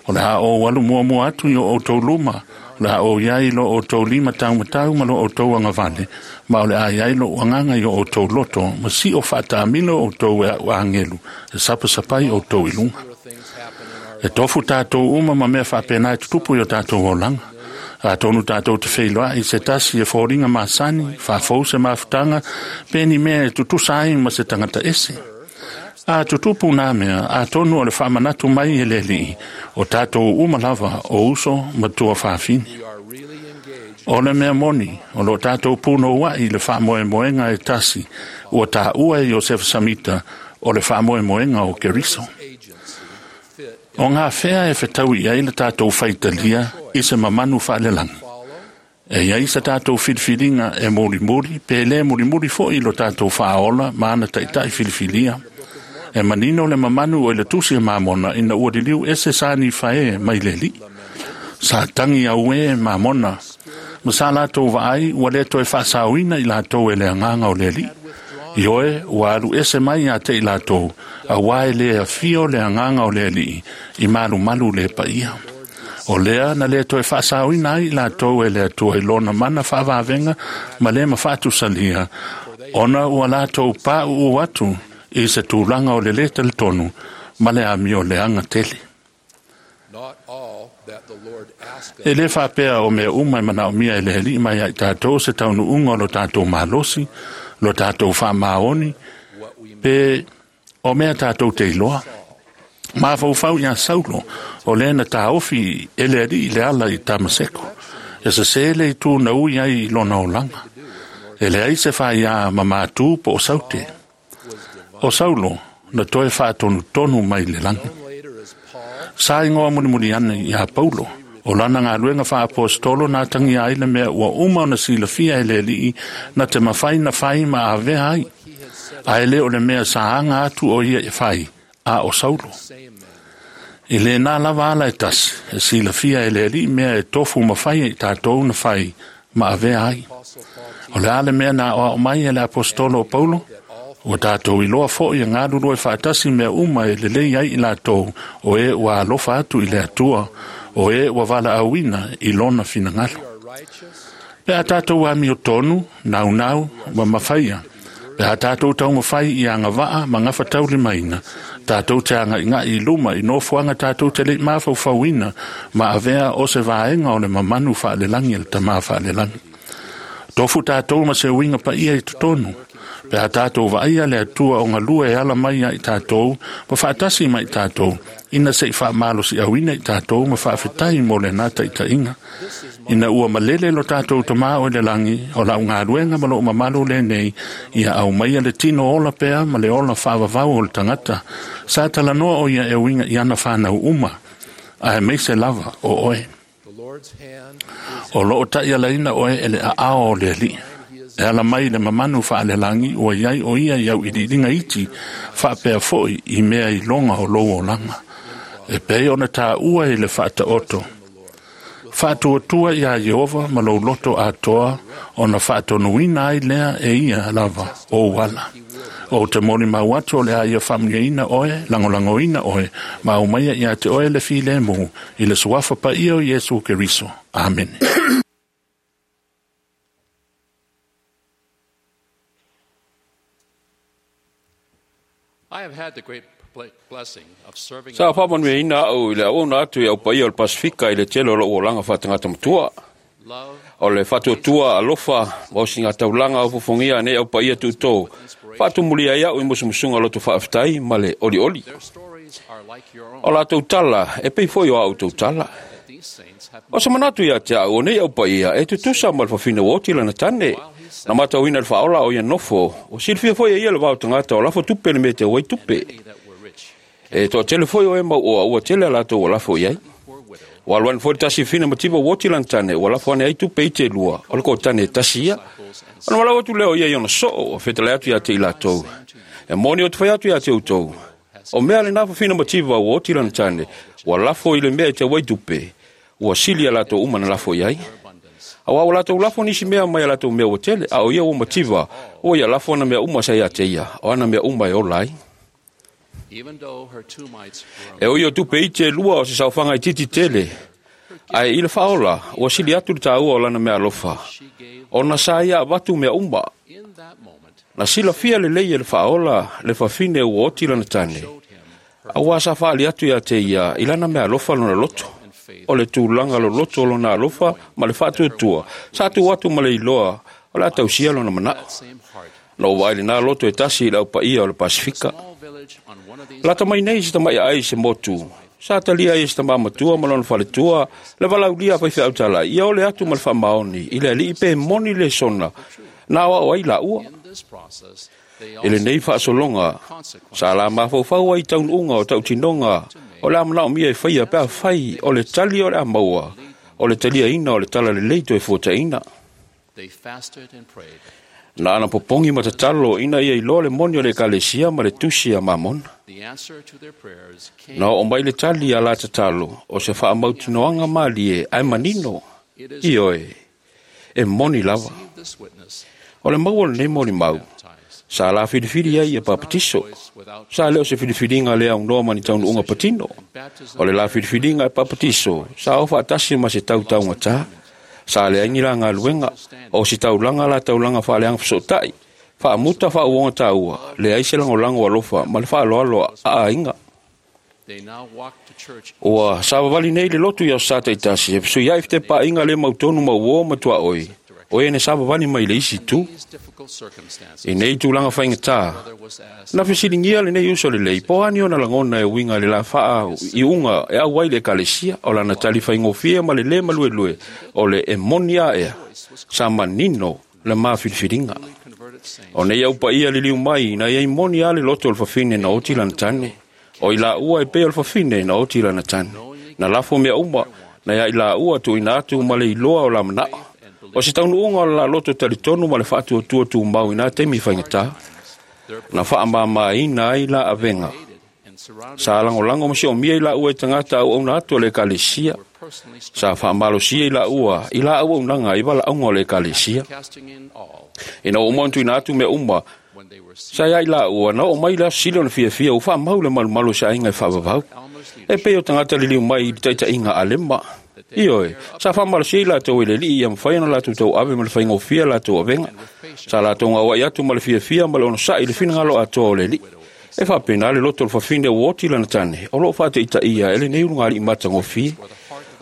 O le a ou alu muamua atu i o outou luma, o le a ou iai lo outou lima taumatau ma lo outou agavale, ma o le a iai lou agaga i o outou loto, ma sio faataamilo outou e au agelu, e sapasapai outou i luga. E tofu tatou uma ma mea faapena e tutupu i o tatou olaga. Atonu tatou te feiloai i se tasi e foliga masani, faafou se mafutaga, pe ni mea e tutusa ai ma se tagata ese. A tutupu nā mea, atonu o le faamanatu mai e le Alii, o tatou uma lava o uso ma tuafafine. O le mea moni, o lo tatou punouai i le faamoemoega e tasi, ua taua e Iosefa Samita o le faamoemoega o Keriso. O ngā whea e whetau i ai le tātou whaitalia i se mamanu whaalelagi. E iai sa tātou filifiliga e mulimuli, pe le mulimuli foi lo tātou whaaola ma ana taitai filifilia. E manino le mamanu o i le tusi e mamona ina ua liliu ese sa ni whae mai le li. Sa tangi au e mamona. Ma sa lātou vaai ua le toe whaasauina i lātou e le anganga o le li. I oe, ua alu ese mai ia te i lātou, a wae le afio le anganga o le alii, i malumalu le paia. O lea na le toe faasauina ai i lātou e le Atua i lona mana faavavenga ma le mafatusalia, ona ua lātou pāuu atu i se tulaga o le lē talitonu ma le amio leaga tele. E lē faapea o mea uma e manaomia e le Alii mai ai tatou se taunuuga o lo tatou malosi, lo tatou faamaoni, pe o mea tatou te iloa. Mafaufau iā Saulo, o lea na taofi e le Alii le ala i Tamaseko, e sesē le itu na ui ai i lona olaga. E leai se faiā mamatū po o saute. O Saulo na toe faatonutonu mai le lagi. Sa igoa mulimuli ane iā Paulo, o lana galuega faaapostolo na atagia ai le mea ua uma ona silafia e le Alii na te mafai na fai ma avea ai, ae lē o le mea sa aga atu o ia e fai, a o Saulo. I lenā lava ala e tasi, e silafia e le Alii mea e tofu ma fai e i tatou na fai ma avea ai. O le a le mea na aoao mai e le apostolo o Paulo? Ua tatou iloa foi e galulue faatasi mea uma e lelei ai i latou o e ua alofa atu i le Atua, o e ua valaauina i lona finagalo. Pe a tatou amiotonu, naunau, ma mafaia, pe a tatou taumafai i agavaa ma gafataulimaina, tatou te agaigai i luma i nofoaga tatou te le'i mafaufauina ma avea o se vaega o le mamanu faalelagi e le Tamā faalelagi. Tofu tatou ma se uiga paia i totonu, pe a tatou vaaia le Atua o galue e ala mai ai tatou ma faatasi mai tatou, ina se'i faamalosiauina i tatou ma faafetai mo lenā taitaiga. Ina ua malele lo tatou Tamā o i le lagi, o lau galuega ma lou mamalu lenei, ia aumaia le tino ola pea ma le ola faavavau o le tagata. Sa talanoa o ia e uiga i ana fanau uma, ae maise lava o oe. O loo ta'ialaina oe e le aao o le Alii. E ala mai le mamanu faalelagi ua iai o ia i au iliiliga iti, faapea foi i mea iloga o lou olaga. E pei ona taua i le faataoto. Faatuatua iā Ieova ma lou loto atoa, ona faatonuina ai lea e ia lava ou ala. Ou te molimau atu o le a ia faamanuiaina oe, lagolagoina oe, ma aumaia iā te oe le filemu, i le suafa paia o Iesu Keriso. Amene.
Sa faamanuiaina a'u i le auauna atu i au paia o le Pasifika i le tele o lo'u olaga faatagata matua. O le faatuatua alofa ma osigataulaga o fofogia nei au paia tuutō, faatumulia ai a'u i musumusuga loto faafetai ma le olioli. O latou tala e pei foi o a'u tautala. O se manatu ia te a'u o nei au paia e tutusa ma le fafine ua oti lana tane. Na matauina le faaola o ia nofo, o silafia foi e ia le vao tagata o lafo tupe le mea te uai tupe. E toatele foi o e mau oa ua tele a latou ua lafo i ai. Ua alu ane foi le tasi fina mativa ua oti lana tane, ua lafo ane ai tupe i te lua, o le kotane e tasi ia. Ona walau atu lea o ia i ona soo, ua fetale atu ia te i latou. E moni o te whai atu ia te outou. O mea le nā fafina mativa ua oti lana tane, ua lafo i le mea i te uai tupe, ua sili a latou uma na lafo i ai. Aua ua latou lafo nisi mea mai a latou mea ua tele, a o ia ua mativa, ua ia lafo ana mea uma sa ia te ia, o ana mea uma e ola ai. E o ia tupe i te lua o se saofanga i titi tele, ae i le faaola, ua sili atu le tāua o lana mea alofa. Ona sa ia avatu mea uma. Na silafia lelei e le faaola le fafine ua oti lana tane. Aua sa faali atu ia te ia i lana mea alofa lona loto. O le tulaga loloto o lona alofa ma le faatuatua. Sa tu atu ma le iloa o le a tausia lona manao. Na ou vaai lenā loto e tasi i le aupaia o le Pasifika. Lata mai nei se tama'i ai se motu. Sa talia ai e se tamā matua ma lona faletua, le valaulia faifeau talai, ia ole atu ma le faamaoni, i le alii pe moni le sona, na aoao ai laua. I lenei faasologa, sa la mafaufau ai taunuuga o tautinoga o le a manaomia e faia pe afai o le tali o le a maua, o le taliaina o le talalelei toe fuataina. Na ana popogi ma tatalo ina ia iloa le moni o le ekalesia ma le tusi a Mamona. Na oo mai le tali a la tatalo o se faamautinoaga malie ae manino, ioe, e moni lava. O le maua o lenei molimau, sa la filifili ai ia papatiso. Sa leo se filifiliga le aunoa ma ni taunuuga patino. O le la filifiliga e papatiso, sa o faatasi ma se tautaugatā. Sa leai ni la galuega, o se taulaga la taulaga faaleaga fesootai, faamuta faauoga tāua, leai se lagolago alofa ma le faaaloalo a aiga. Ua savavali nei le lotu i aso sa taitasi, e fesuiai fetepaaiga le mautonu ma uō ma tuaoi, o e na savavali mai le isi tu. I nei tulaga faigata, na fesiligia lenei uso lelei, po o ani ona lagona e uiga i le la faaiuga e auai le ekalesia, o lana tali faigofie ma le lē maluelue, o le e moni aea, sa manino le mafilifiliga. O nei au paia liliu mai, na iai moni a le loto o le fafine na oti lana tane. O i laua e pei o le fafine na oti lana tane. Na lafo mea uma, na ia i laua tuuina atu ma le iloa o la manao. O se taunuuga o le la loto talitonu ma le faatuatua tumau i nā taimi faigata. Na faamāmāina ai la avega. Sa lagolago ma siomia i laua e tagata auauna atu o le ekalesia. Sa faamalosia i laua i la auaunaga i valaauga o le ekalesia. Ina ua uma ona tuuina atu mea uma, sa ia i laua na oo mai le aso sili ona fiafia ua faamau le malumalu o se aiga e faavavau. E pei o tagata liliu mai i le taitaiga a Alema. Ioe, sa faamalosia i latou e le alii ia mafai ona latou tauave ma le faigofie latou avega. Sa latou gauai atu ma le fiafia ma le onosai i le finagalo atoa o le alii. E faapena le loto o le fafine ua oti lana tane, o loo faateitaia e lenei ulugalii matagofie.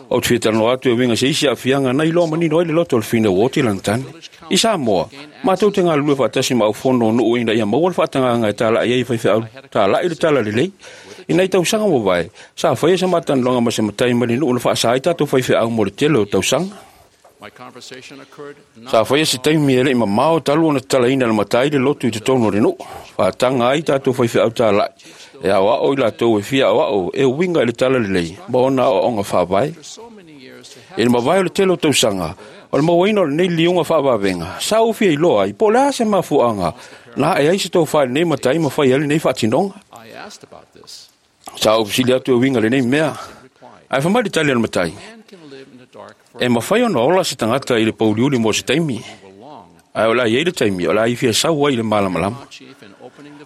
Ou te fia talanoa atu e uiga se isi aafiaga na iloa manino ai le loto o le fafine ua oti lana tane. I Samoa, matou te galulue faatasi ma aufono o nuu ina ia maua le faatagaga e tala'i ai faifeau tala'i le talalelei. I nai tausaga ua vae, sa faia se matalanoaga ma se matai mai le nuu na faasā ai tatou faifeau mo le tele o tausaga. Sa faia se taimi e le'i mamao talu ona tatalaina e le matai le lotu i totonu o le nuu. Faataga ai tatou faifeau tala'i e aoao i latou e fia aoao e uiga i le talalelei ma ona aoaoga faavae. I le mavae o le tele o tausaga, o le mauaina o lenei liliuga faavavega, sa ou fia iloa ai po o le a se mafuaaga na ae ai se tofā i lenei matai ma fai ai lenei faatinoga. Sa ou fesili atu e uiga i lenei mea, ae fai mai le tali a le matai, e mafai ona ola se tagata i le pouliuli mo se taimi, ae o le a iai le taimi o le a ia fia sau ai i le malamalama.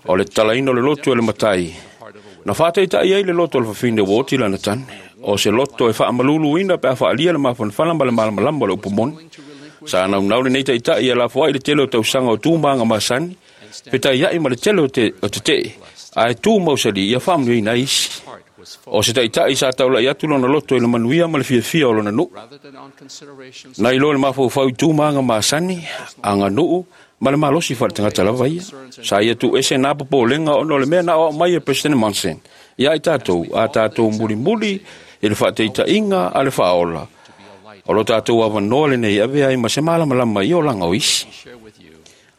O le tatalaina o le lotu e le matai, na faataitai ai le loto o le fafine ua oti lana tane. O se loto e faamaluluina pe a faalia le mafanafana ma le malamalama o le upu moni. Sa naunau lenei taitai e lafo ai le tele o tausaga o tu ma aga masani, petaiai ma le tele o te tetee,
Ae tu mausali ia faamanuiaina ai isi. O se taitai sa taulai atu lona loto i le manuia ma le fiafia o lona nuu. Na iloa le mafaufau i tu ma aga masani, aganuu, ma le malosi faaletagata lava ia. Sa ia tuuese na popolega ona o le mea na aoao mai e President Monson ia i tatou, a tatou mulimuli i le faataitaiga a le Faaola. O lo tatou avanoa lenei ave ai ma se malamalama i olaga o isi.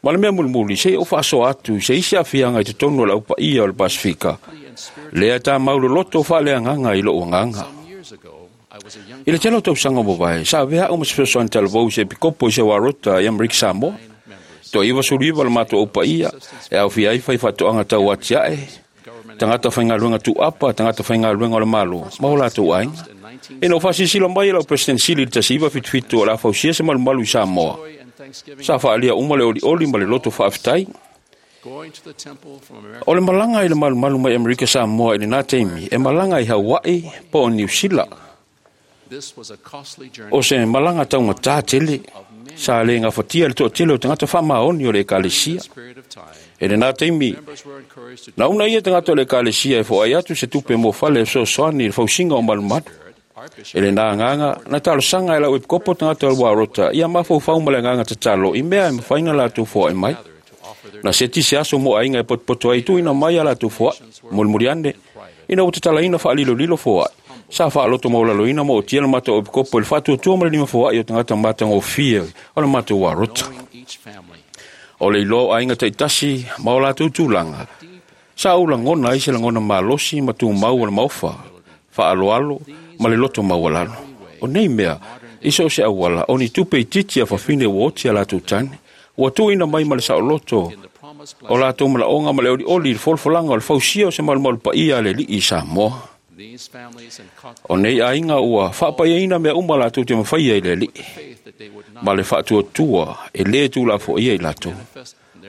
Ma le mea mulimuli, se i ou faasoa atu i se isi aafiaga i totonu o le aupaia o le Pasefika, lea tamau loloto faaleagaga i lou agaga. I le tele o tausaga ua mavae, sa avea au ma se fesoasoani talavou i se epikopo i se Warota i Amerika Samoa. Toa 99 le matou aupaia, e aofia ai faifaatoaga tau atiae, tagata faigaluega tuuapa, tagata faigaluega o le Malo, ma o latou aiga. Ina ua faasilasila mai e lau President Sili i le 1977 o le a fausia se malumalu i Samoa, sa faaalia uma le olioli ma le loto faafetai. O le malaga i le malumalu mai Amerika Samoa i lena taimi, e malaga i Hawaii po o Niu Sila. O se malaga taugatā tele, sa le gafatia le toatele o tagata faamaoni o le ekalesia. I lena taimi, na una ia tagata o le ekalesia e foai atu se tupe mo fale e fesoasoani i le fausiga o malumalu. I lena agaga, na talosaga e lau epikopo tagata o le Warota ia mafaufau ma le agaga tatalo i mea e mafai ona latou foai mai. Na seti se aso mo aiga e potopoto ai tuuina mai a latou foai, mulimuli ane, ina ua tatalaina faalilolilo foai, sa faaloto maualaloina ma ootia le matou epikopo i le faatuatua ma le lima foai o tagata matagofie o le matou Warota. O le iloa o aiga taitasi ma o latou tulaga, sa ou lagona ai se lagona malosi ma tumau o le maofa, faaaloalo ma le loto maualalo. O nei mea, i so o se auala, o ni tupe itiiti a fafine ua oti a latou tane, ua tuuina mai ma le saoloto o latou manaoga ma le olioli i le folafolaga o le fausia o se malumalu paia a le Alii i Samoa. O nei aiga ua faapaiaina mea uma latou te mafaia i le Alii, ma le faatuatua e lē tulafoaia i latou.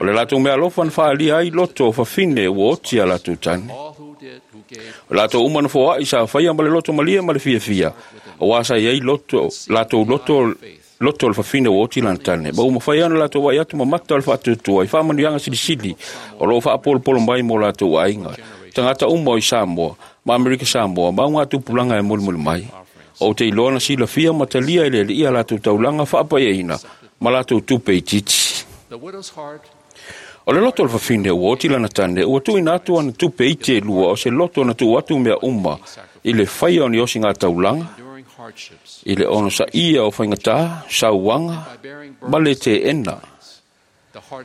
O le latou meaalofa na faaalia ai loto o fafine ua oti a latou tane. O latou uma na foai sa faia ma le loto malie ma le fiafia, auā sa i ai loto, latou loto loto o le fafine ua oti lana tane, ma ua mafai ona latou vaai atu ma mata o le faatuatua i faamanuiaga silisili o loo faapolopolo mai mo latou aiga, tagata uma o i Samoa, ma Amerika Samoa, ma augatupulaga e mulimuli mai. Ou te iloa na silafia ma talia e le Alii a latou taulaga faapaiaina ma latou tupe itiiti. O le loto o le fafine ua oti lana tane, ua tuuina atu ana tupe iti e lua o se loto na tuu atu mea uma i le faia o ni osiga taulaga, i le onosaia o faigata, sauaga, ma le teena.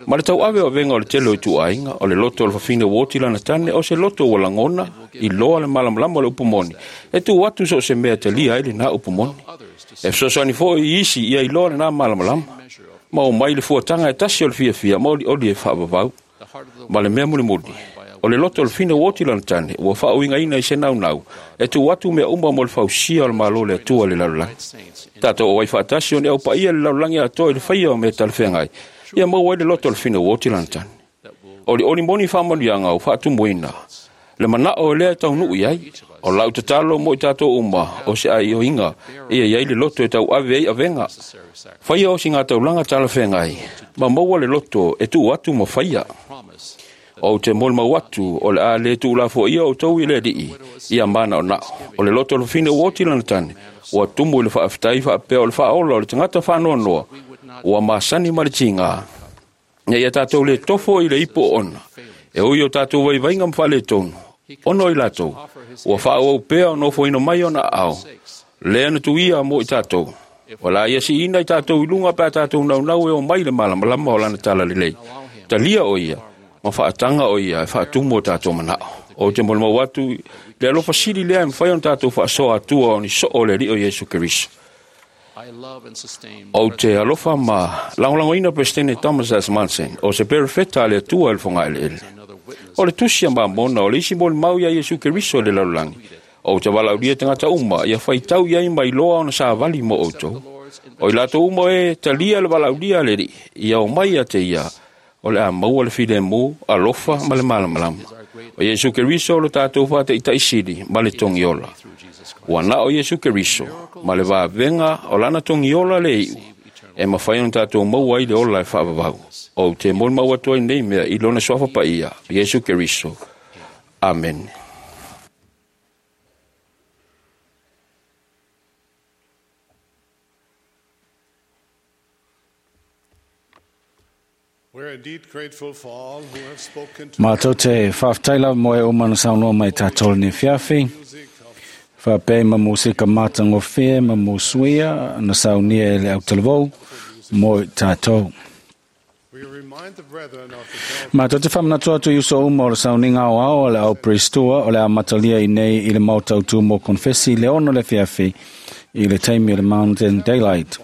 Ma le tauave o avega o le tele o ituaiga, o le loto o le fafine ua oti lana tane, o se loto ua lagona, iloa le malamalama o le upu moni, e tuu atu so o se mea e talia ai lena upu moni. E fesoasoani foi i isi ia iloa lena malamalama, ma omai le fuataga e tasi o le fiafia ma olioli e faavavau. Ma le mea mulimuli, o le loto o le fafine ua oti lana tane, ua faauigaina i se naunau, e tuu atu mea uma mo le fausia o le Malo o le Atua i le lalolagi. Tatou auai faatasi o ni aupaia i le lalolagi atoa i le faia o mea talafeagai, ia maua ai le loto o le fafine ua oti lana tane. Olioli moni faamanuiaga ua faatumuina, le manao e lea e taunuu i ai. O lau tatalo mo i tatou uma, o se aioiga ia i ai le loto e tauave ai avega. Faia o siga taulaga talafeagai, ma maua le loto e tuu atu ma faia. Ou te molimau atu o le a le tuulafoaia outou i le Alii ia manaonao. O le loto o le fafine ua oti lana tane, ua tumu i le faafetai faapea o le faaola o le tagata faanoanoa, ua masani ma le tiga. Ina ia tatou le tofo i le ipu oona, e ui o tatou vaivaiga ma faaletonu, ona o i latou, ua faaauau pea o nofoina mai ona aao, lea na tuia mo i tatou. O la ia siina i tatou i luga pe a tatou naunau e omai i le malamalama o lana talalelei. Talia o ia, ma faataga o ia e faatumu o tatou manao. Ou te molimau atu i le alofa sili lea e mafai ona tatou faasoa atua o ni soo o le Alii o Iesu Keriso. Ou te alofa ma lagolagoina Peresetene Thomas S. Monson, o se perofeta a le Atua i le fogaeleele. O le tusi a Mamona o le isi molimau iā Iesu Keriso i le lalolagi. Ou te valaaulia tagata uma ia faitau i ai ma iloa ona savali mo outou. O i latou uma e talia le valaaulia a le Alii, ia omai ia te ia, o le a maua le filemu, alofa ma le malamalama. O Iesu Keriso o lo tatou faataitai sili ma le togiola. Ua na o Iesu Keriso ma le vavega o lana togiola le iu, e mafai ona tatou maua ai le ola e faavavau. Ou te molimau atu ai nei mea i lona suafa paia, Iesu Keriso.
Amene.
Mātou te whawhtai lava mo e uma na saunoa mai tātou ni fiafi. Whapei ma musika mātangofie ma musuia na saunia e le autalavou mo tātou. Mātou te whamanatua atu iuso uma o le sauninga o ao o le au Pristua o le a matalia i nei i le mautau mo konfesi le ono le fiafi i le taimi o le Mountain Daylight.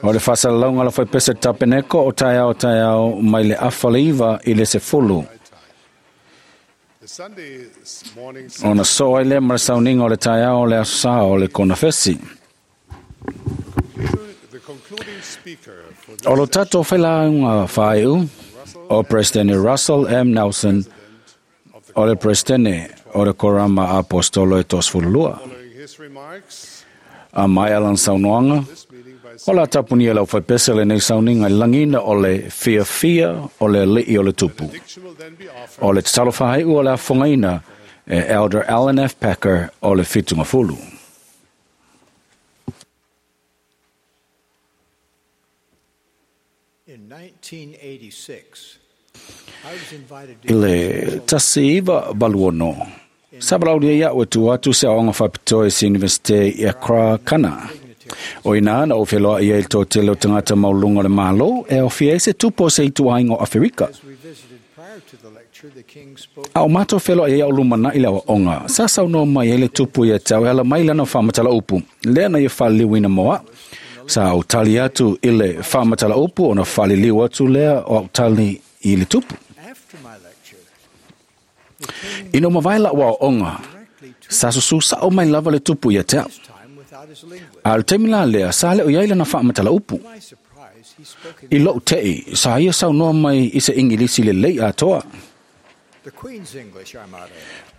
O le whasalalaunga la whai pese tapeneko o tai ao mai le awhaleiva i le sefulu. Ona soa i le marasauninga o le tai ao le asosa o le konafesi. O lo tato whailaunga whaiu o Presidente Russell M. Nelson o le Presidente o le Korama Apostolo e Tosfululua. A mai alan saunoanga, o la tapunia lau whaipese le nei sauninga langina o le fia fia o le li'i o le tupu. O le tatalo whahaiu o le afongaina e Elder Alan F. Packer o le Fitunga Fulu.
In 1986, I was invited
I le tasi iwa valuono. Sabalaulia ia ua tu atu se aonga whapitoe se Universite i Accra, Kana. O ina na o wheloa ia i tō tele o tangata maulunga le malo e o fia se tupo se itu aingo Afrika. A o mātou wheloa ia o lumana i lewa onga. Sa saunoa mai e le tupu ia tau e ala mai lana whamatala upu. Lea na ia whaliliwina moa. Sa o tali atu i le whamatala upu o na whaliliu atu lea o au tali i le tupu. Ina mawai la wa onga. Sa susu sa o mai lava le tupu ia te au. A le taimi la lea, sa le o iai lana whaamatala upu. I lou tei, sa ia saunoa mai i se Ingilisi le lei atoa.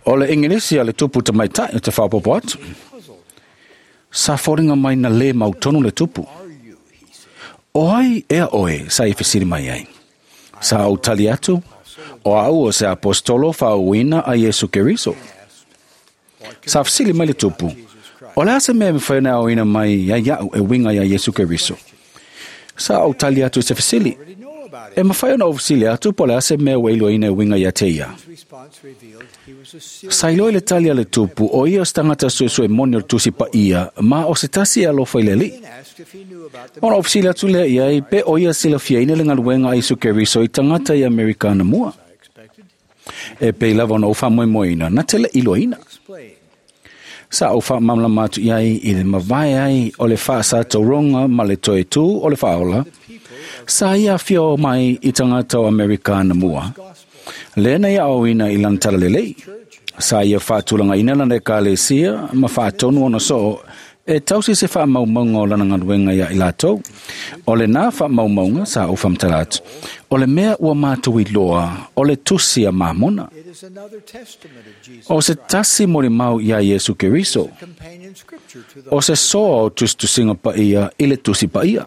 O le Ingilisi a le tupu te maitai o te whapopo atu. Sa foringa mai na le mautonu le tupu. O ai ea oe, sa i fesiri mai ai. Sa au tali atu, o au o se apostolo whaauina a Yesu Keriso. Sa fesili mai le tupu. O le ase mea mwhaina au ina mai ia iau e winga ia Yesu Keriso. Sa au tali atu i se fesili. E mwhaina au fesili atu po le ase mea weilo ina e winga ia te ia. Sa iloi le tali a le tupu o ia o stangata suesue moni o tusi pa ia ma o se tasi e alofa i le li. Ona o fesili atu lea ia i pe o ia silafia ina le ngaluenga a Yesu Keriso i tangata i Amerikana mua. E pe lava ona o whamoemoeina na tele iloina. Sa o wha mamla matu iai i le mawai ai o le wha sa tauronga ma le toe tū o le whaola. Sa ia whio mai i tangata o Amerikana mua. Lena ia au ina i lantala lelei. Sa ia whaatulanga ina lana e kalesia ma whaatonu ona soo e tausi se wha maumaunga o lana ngaluenga ia i lātou. O le nā wha maumaunga sa o whamtala atu. O le mea ua mātou i loa o le tusi a māmona. O se tasi mori mau ia Yesu Keriso. O se soa o tustusinga pa ia i le tusi pa ia.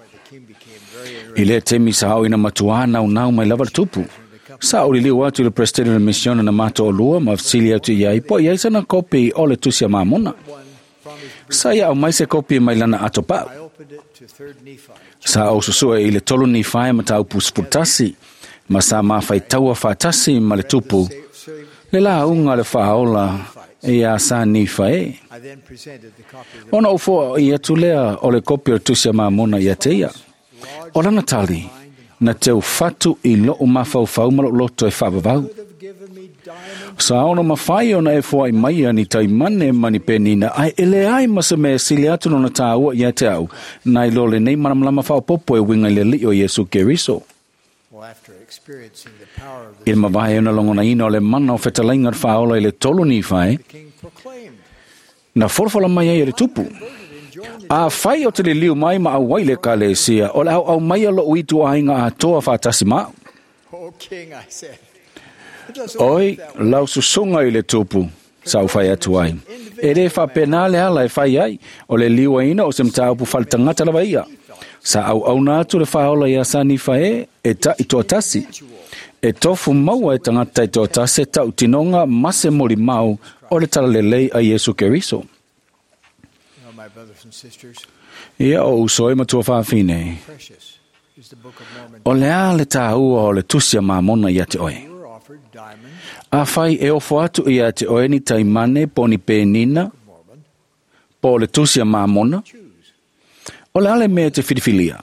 I le temi sa au ina matua nau nau mai lava le tupu. Sa o liliu atu le presidente le missione na mātou o lua ma fesili atu ia i po ia sana kopi o le tusi a māmona. Sa ia au mai se kopi mai lana ato pau. Sa au susua i le tolu ni whae ma tau pusiputasi, ma sa mawhai taua whaatasi ma le tupu. Le la unga le whaola e ia sa ni whae. Ona o fua i atu lea o le kopi o tusi a māmona ia te ia. O lana tali, na te ufatu i loo mawhauwhau ma loto e whaavavau. Sa ono mawhai ona e fua i mai ani tai mane mani penina ai ele ai masa me sili atu nona tāua ia te au. Nai lo le nei manamalama whaopopo e winga i le li o Yesu Keriso. I le mawae ona longona ina o le mana o whetalainga whaola i le tolu ni whae, na forfola mai ai e le tupu. A whai o te le liu mai ma au le kalesia, o le au au mai alo uitu ainga atoa whaatasi mau. Oi, lau susunga i le tupu, sa u whai atu ai. E re whapena le ala e whai ai, o le liua ina o se mtāupu whalitangata lava ia. Sa au au nā atu le whaola ia sa ni whae e ta i toa tasi. E tofu maua e tagata taitoatasi tautinoga ma se molimau o le talalelei a Iesu Keriso. Ia o uso e matua faafine. O le a le tāua o le tusi a Mamona ia te oe. Afai e ofo atu ia te oe ni taimane po ni penina, po le tusi a Mamona, o le a le mea te filifilia,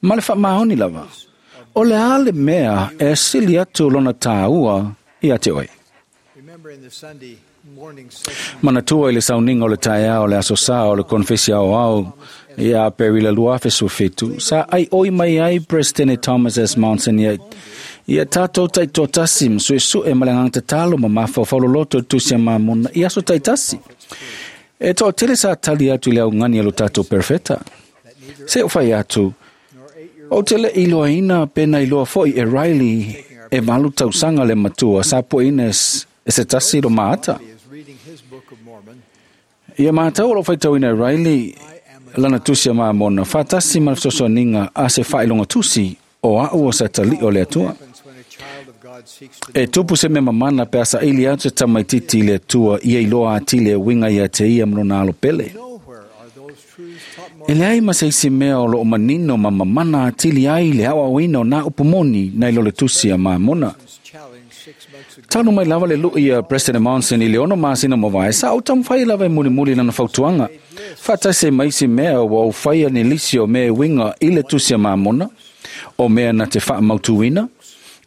ma le whaamaoni lava. O le a le mea e sili atu lona tāua ia te oe. Manatua i le sauninga o le taeao o le aso sā o le konfesi aoao ia Aperila 2017, sa ai oi mai ai President Thomas S. Monson ia ia tātou taitoatasi ma suesue ma le agaga tatalo ma mafaufau loloto i le tusi a Mamona i aso taitasi. E toatele sa tali atu i le augani a lo tātou perfeta. Se o fai atu, o te le iloaina pena iloa foi e Riley e 8 tausaga le matua sa poina e se tasi lo maata. Ia mātau o lo faitauina e Riley lana tusi a Mamona, whātasi ma le fesoasoaniga a se whailonga tusi o au o sa tali o le Atua. E tupu se mea mamana pe a saili atu se tamaititi i le Atua ia iloa atili e uiga ia te ia ma lona alo pele. E leai ma se isi mea o loo manino ma mamana atili ai le aoaoina o nā upu moni nai lo le tusi a Mamona. Talu mai lava le lui a President Monson i le 6 masina mavae, sa o taumafai lava e mulimuli lana fautuaga. Faatasi ai ma isi mea ua ou faia ni lisi o mea e uiga i le tusi a Mamona, o mea na te faamautuina,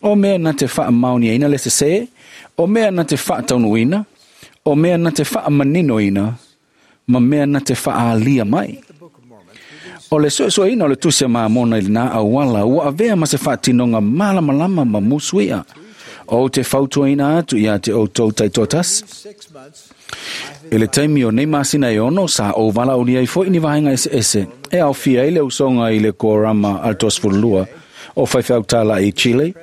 o mea na te faamaoniaina le sesē, o mea na te faataunuuina, o mea na te faamaninoina, ma mea na te faaalia mai. O le suesueina o le tusi a Mamona i lenā auala ua avea ma se faatinoga malamalama ma musuia. O te fautuaina atu ia te outou taitoatasi. I le taimi o nei masina e 6, sa ou valaaulia ai foi ni vaega eseese e aofia ai le usoga i le Korama a le 32 o faifeau i Chile,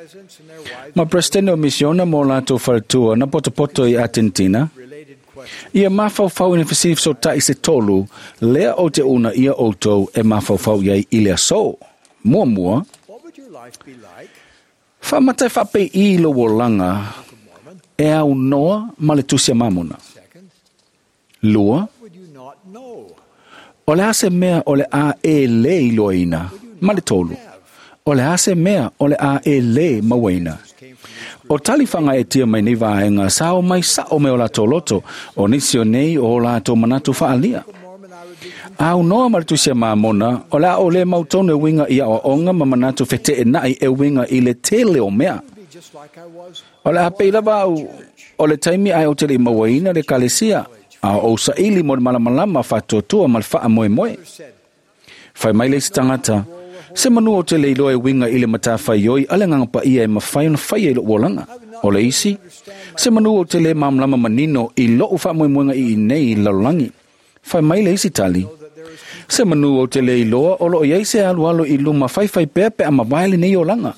ma presidente o misiona mo latou faletua na potopoto i Argentina. Ia mafaufau i ni fesili fesota'i se tolu, lea o te una ia outou e mafaufau iai i le aso. Muamua, faamata e faapei'i lou olaga e aunoa ma le tusi a Mamona. Lua, o le a se mea o le a e lē iloaina. Ma le tolu, o le a se mea o le a e lē mauaina. O talifaga e tia mai nei vaega sa o mai sa'o me o latou loto, o nisi o nei o latou manatu faalia. Aunoa ma le tusi a Mamona, o le a o lē mautonu e uiga i aoaoga ma manatu feteena'i e uiga i le tele o mea. O le a pei lava au o le taimi ae o te le'i mauaina le kalesia, a o ou saili mo le malamalama faatuatua ma le faamoemoe. Fai mai le isi tagata, se manu o te le iloa e uiga i le matafaioi a le agaga paia e mafai ona faia i lou olaga. O le isi, se manu o te le malamalama manino i lou faamoemoega i inei i le lalolagi. Fai mai le isi tali, se manu o te le iloa o loo iai se alualu i luma faifai pea pe a mavae lenei olaga.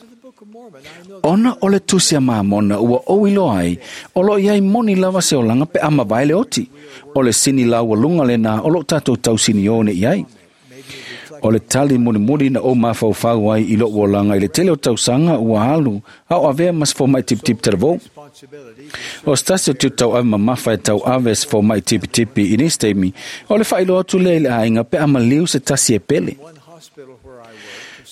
Ona o le tusi a Mamona ua ou iloa ai, o loo iai moni lava se olaga pe a mavae le oti. O le sini laualuga lenā o loo tatou tausiniō nei ai. O le tali mulimuli na ou mafaufau ai i lou olaga i le tele o tausaga ua alu a o avea ma se fomai tipitipi talavou. O se tasi o tiute tauave mamafa e tauave se fomai tipitipi i nisi taimi, o le faailoa atu lea i le aiga pe a maliu se tasi e pele.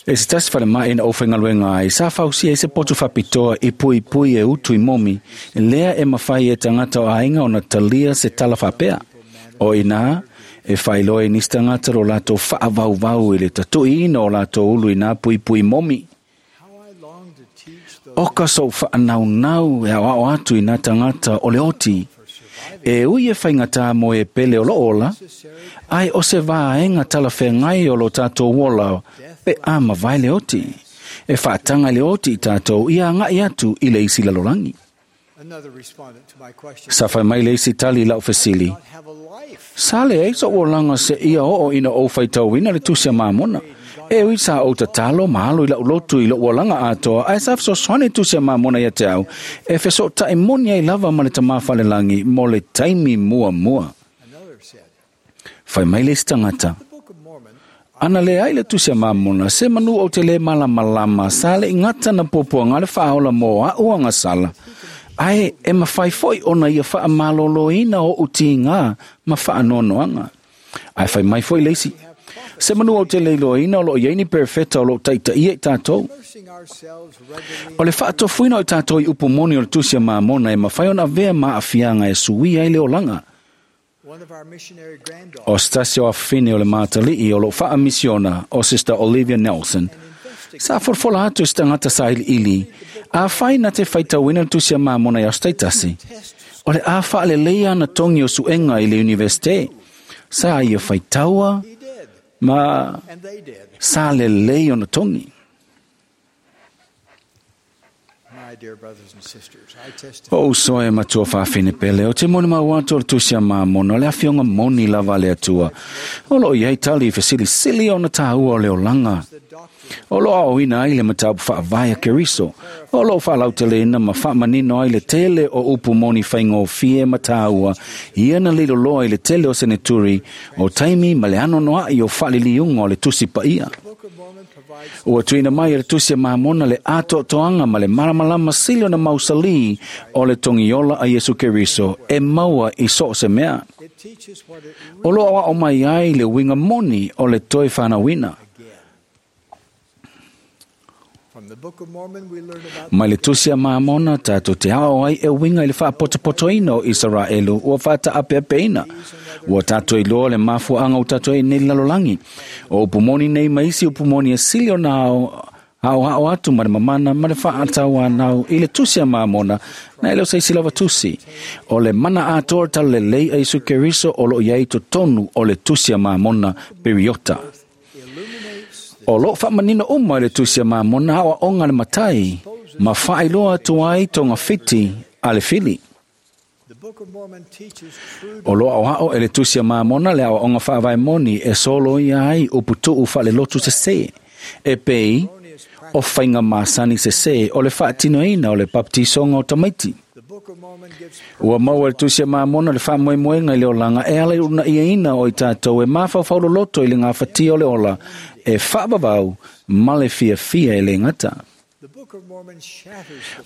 E se tasi falemai na ou faigaluega ai, sa fausia ai se potu faapitoa i puipui e utu i momi, lea e mafai e tagata o aiga ona talia se tala faapea. O inā, e faailoa i nisi tagata lo latou faavauvau i le tatuiina o latou ulu i nā puipui momi. O ka sou faanaunau e aoao atu i nā tagata o le oti, e ui e faigata mo e pele o loo ola, ai o se vaega talafeagai o lo tatou ola pe a mavae le oti, e faataga i le oti i tatou ia aga'i atu i le isi lalolagi. Sa fai mai le isi tali i lau fesili, sa leai so'u olaga seia oo ina ou faitauina le tusi a Mamona. E ui sa ou tatalo ma alo i lau lotu i lou olaga atoa, ae sa fesoasoani tusi a Mamona ia te au, e fesoota'i moni ai lava ma le tamā falelagi mo le taimi muamua. Fai mai le isi tagata,
Ana le ai le tusi a Mamona, se manu o te le malamalama, sa le ingata na puapuaga le faaola mo a'u agasala, ae e mafai fo'i ona ia faamalōlōina o'u tigā ma faanoanoaga. Ae fai mai fo'i le isi, se manu ou te le iloaina o loo iai ni perefeta o loo taitaia i tatou. O le faatofuina o i tatou i upu moni o le tusi a Mamona e mafai ona avea ma aafiaga e suia ai le olaga. O se tasi o afafine o le matali'i o loo faamisiona o Sister Olivia Nelson, sa folafola atu i se tagata sailiili, afai na te faitauina le tusi a Mamona i aso taitasi, o le a faaleleia ana togi o suega i le Universite, sa ia faitaua ma sa lelei ona togi. O uso e matua faafine pele, o te moni mau atu o le tusi a Mamona, o le afioga moni lava a le Atua. O loo iai tali i fesilisili ona tāua o le olaga. O loo aoaoina ai le mataupu faavae a Keriso. O loo faalauteleina ma faamanino ai le tele o upu moni faigofie ma tāua, ia na liloloa i le tele o seneturi, o taimi ma le anoanoa'i o faaliliuga o le tusi paia. Ua tuuina mai e le tusi a Mamona le atoatoaga ma le malamalama sili ona mausalī o le togiola a Iesu Keriso e maua i so o se mea. O loo aoao mai ai le uiga moni o le toe fanauina. Mai le tusi a Mamona tatou te aoao ai e uiga i le faapotopotoina o Isaraelu ua faataapeapeina. Ua tatou iloa le mafuaaga ua tatou ai nei le lalolagi. O upu moni nei ma isi upu moni e sili ona aoao atu ma le mamana ma le faatauanau i le tusi a Mamona na e le o se isi lava tusi. O le mana atoa o le talalelei a Iesu Keriso o loo iai totonu o le tusi a Mamona Piriota. O loo faamanino uma i le tusi a Mamona aoaoga a le matai ma faailoa atu ai togafiti a le fili. O loo aoao e le tusi a Mamona le aoaoga faavae moni e soloia ai uputuu faalelotu sesē, e pei o faiga masani sesē o le faatinoina o le bapetisoga o tamaiti. Ua maua e le tusi a Mamona le faamoemoega i le olaga e ala i unaiaina o i tatou e mafaufau loloto i le gafatia o le ola e faavavau ma le fiafia e le gata.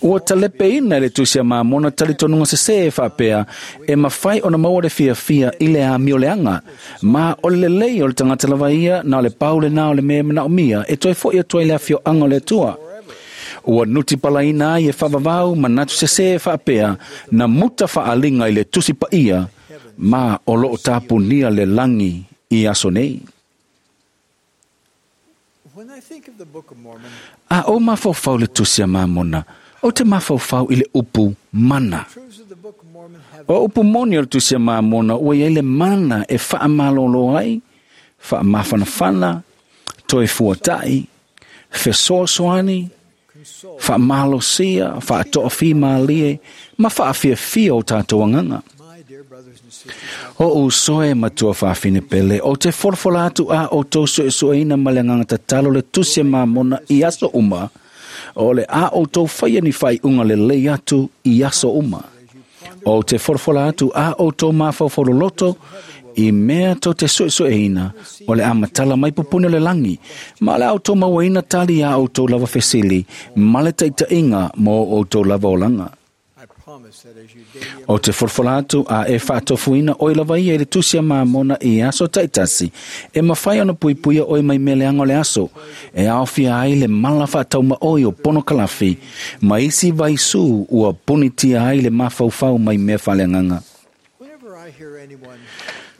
Ua talepeina e le tusi a Mamona talitonuga sesē e faapea e mafai ona maua le fiafia i le amioleaga, ma o le lelei o le tagata lava ia na o le pau lenā o le mea e manaomia e toe fo'i atu ai le afioaga o le Atua. Ua nutipalaina ai e faavavau manatu sesē e faapea na muta faaliga i le tusi paia ma o loo tapunia le lagi i aso nei. A o mafaufau le tusi a Mamona, o te mafaufau i le upu mana. O upu moni o le tusi a Mamona ua iai le mana e faamalōlō ai, faamafanafana, toe fuata'i, fesoasoani, faamalosia, faatoafimalie, ma faafiafia o tatou agaga. O uso e matua faafine pele, o te folafola atu a outou suesueina ma le agaga tatalo le tusi a Mamona i aso uma, o le a outou faia ni faaiuga lelei atu i aso uma. O te folafola atu a outou mafaufau loloto i mea tou te suesueina o le a matala mai pupuni o le lagi, ma o le a outou mauaina tali a outou lava fesili ma le taitaiga mo outou lava olaga. O te folafola atu a e faatofuina oe lava ia i le tusi a Mamona i aso taitasi, e mafai ona puipuia oe mai mea leaga o le aso, e aofia ai le mala faataumaoi o ponokalafi, ma isi vaisū ua punitia ai le mafaufau mai mea faaleagaga.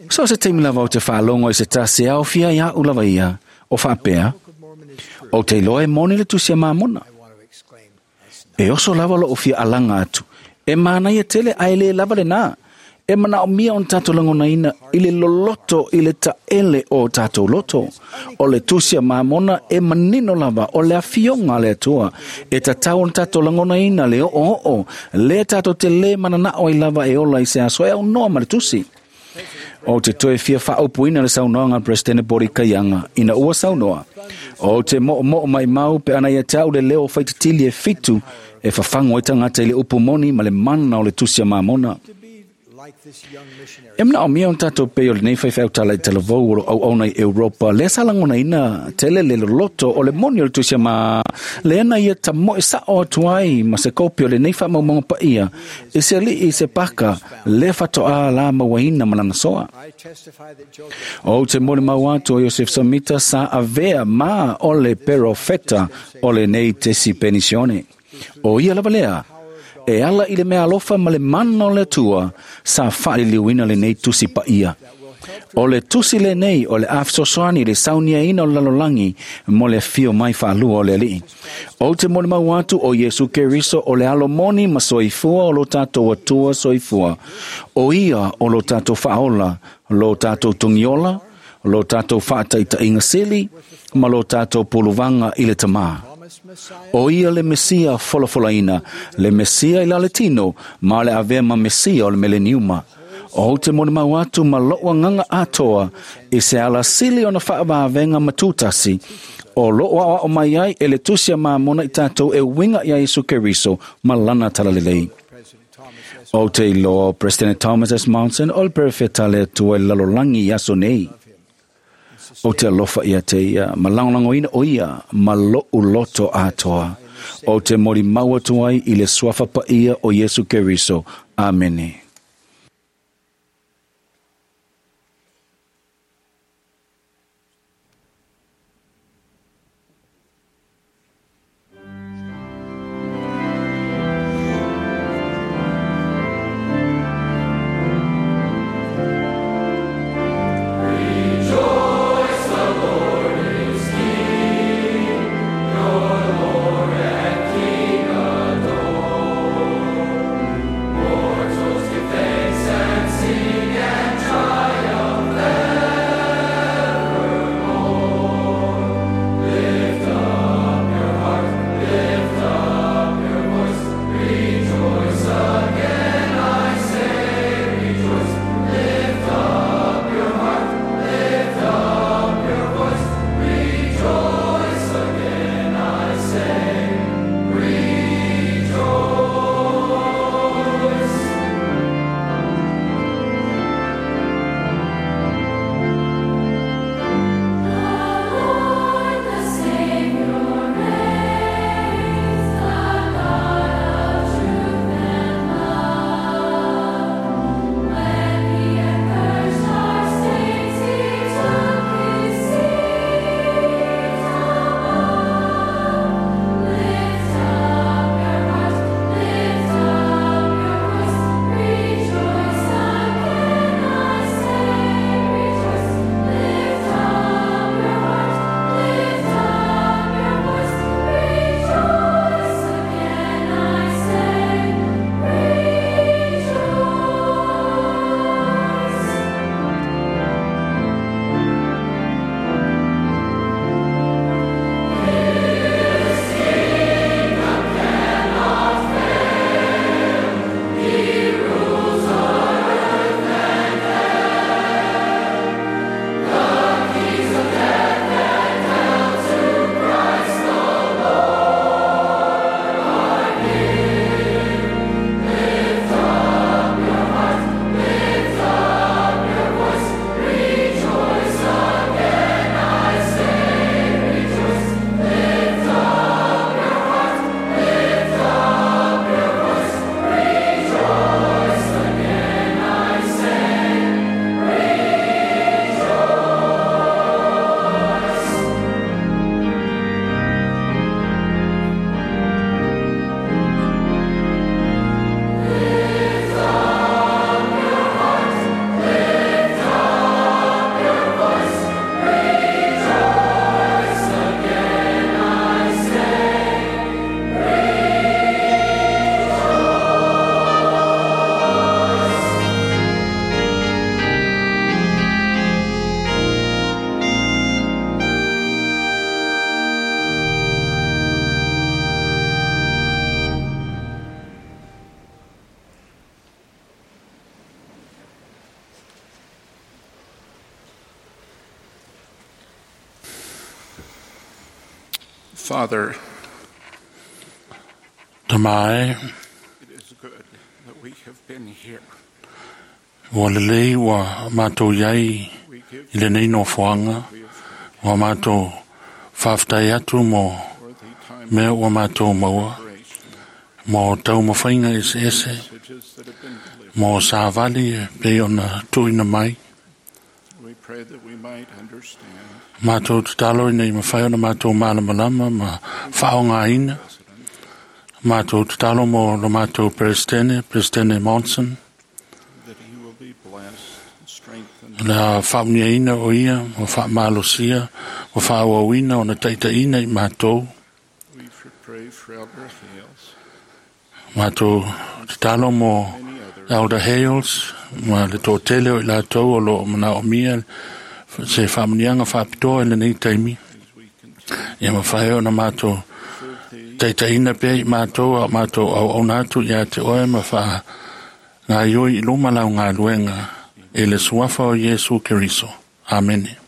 So se taimi lava o te faalogo i se tasi e aofia i a'u lava ia, o faapea, o te iloa e moni le tusi a Mamona. E oso lava loo fia alaga atu, e manaia tele ae lē lava lenā. E manaomia ona tatou lagonaina i le loloto i le taele o tatou loto. O le tusi a Mamona e manino lava o le afioga a le Atua. E tatau ona tatou lagonaina le oooo, lea tatou te lē mananao ai lava e ola i se aso e aunoa ma le tusi. O te toe fia faaupuina le saunoaga a le Peresetene Bori Kaiaga ina ua saunoa. O te moomoo maimau pe ana ia te au le leo o faitatili e 7 e fafago ai tagata i le upu moni ma le mana o le tusi a Mamona.
E mana o mea o tātou pei o lenei whaiwhau tala i talavou o lo au au nei Europa, lea sa langona ina tele le loloto o le moni o le tusia ma le ana ia ta moe sa o atuai ma se kopi o lenei wha maumanga pa ia, e se ali i se paka le whatoa la mawaina manana soa. O te mole mau atu o Joseph Samita sa avea ma o le perofeta o lenei tesi penisione. O ia lava lea, e ala i le mea alofa ma le mana o le Atua, sa whaaliliuina le nei tusi pa ia. O le tusi le nei o le awhisosoani le saunia ina o le lalolangi mo le fio mai whaalua o le alii. O te mole mau atu o Yesu Keriso o le alomoni ma soifua o lo tātou atua soifua. O ia o lo tātou whaola, lo tātou tungiola, lo tātou whaataita sili, ma lo tātou puluvanga i le tamā. O ia le Mesia folafolaina, le Mesia i la le tino, ma le avea ma Mesia o le meleniuma. O te mone mau atu ma loa nganga atoa, i se ala sili ona whaavavenga matutasi, o loa o mai ai e le tusia ma mona i tātou e winga ia Isu Keriso ma lana talalelei. O te iloa President Thomas S. Monson o le perfeta le atua i lalolangi i aso nei. O te alofa ia te ia, ma langolangoina o ia, ma lo'u loto atoa. O te mori mau atu ai i le suafa pa ia o Yesu Keriso. Amene.
Father,
Tamae,
it is good that we have been here.
Ua lelei ua mātou iai i lenei nofoaga, ua mātou faafetai atu mo mea ua mātou maua, mo taumafaiga eseese, mo savali e pei ona tuuina mai. Mātou tatalo ina i mafai ona mātou malamalama ma faaaogaina. Mātou tatalo mo lo mātou Peresetene, Peresetene Monson, le faamuniaina o ia, ma faamalosia, ma faaauauina ona taitaiina i mātou. Mātou tatalo mo Elder Hales, ma le toatele o i latou o loo manaomia se faamuniaga faapitoa i lenei taimi. Ia mafai ona mātou taitaiina pea i mātou a o mātou auauna atu ia te oe ma faagaioi i luma lau galuega e le suafa o Iesu Keriso. Amene.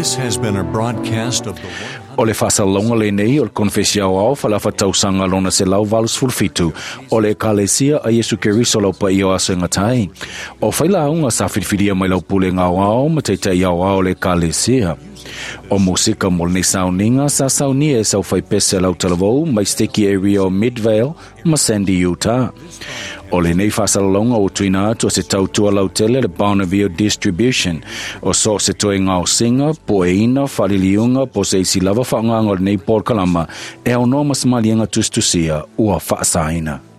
This has been a broadcast of the
O le faasalalauga lenei o le konefesi aoao faaleafatausaga lona 187 o le Ekalesia a Iesu Keriso lau paia o aso e gata ai. O failauga sa filifilia mai lau pulega aoao ma taitai aoao o le Ekalesia. O musika mo lenei sauniga sa saunia e sau faipese lau talavou mai steki area o Midvale ma Sandy, Utah. O lenei faasalalauga ua tuuina atu o se tautua lautele le Bonneville Distribution. O so se toe gaosiga, poeina, faaliliuga po o se isi lava faaaogaga o lenei polokalama e aunoa ma se maliega tusitusia ua faasaina.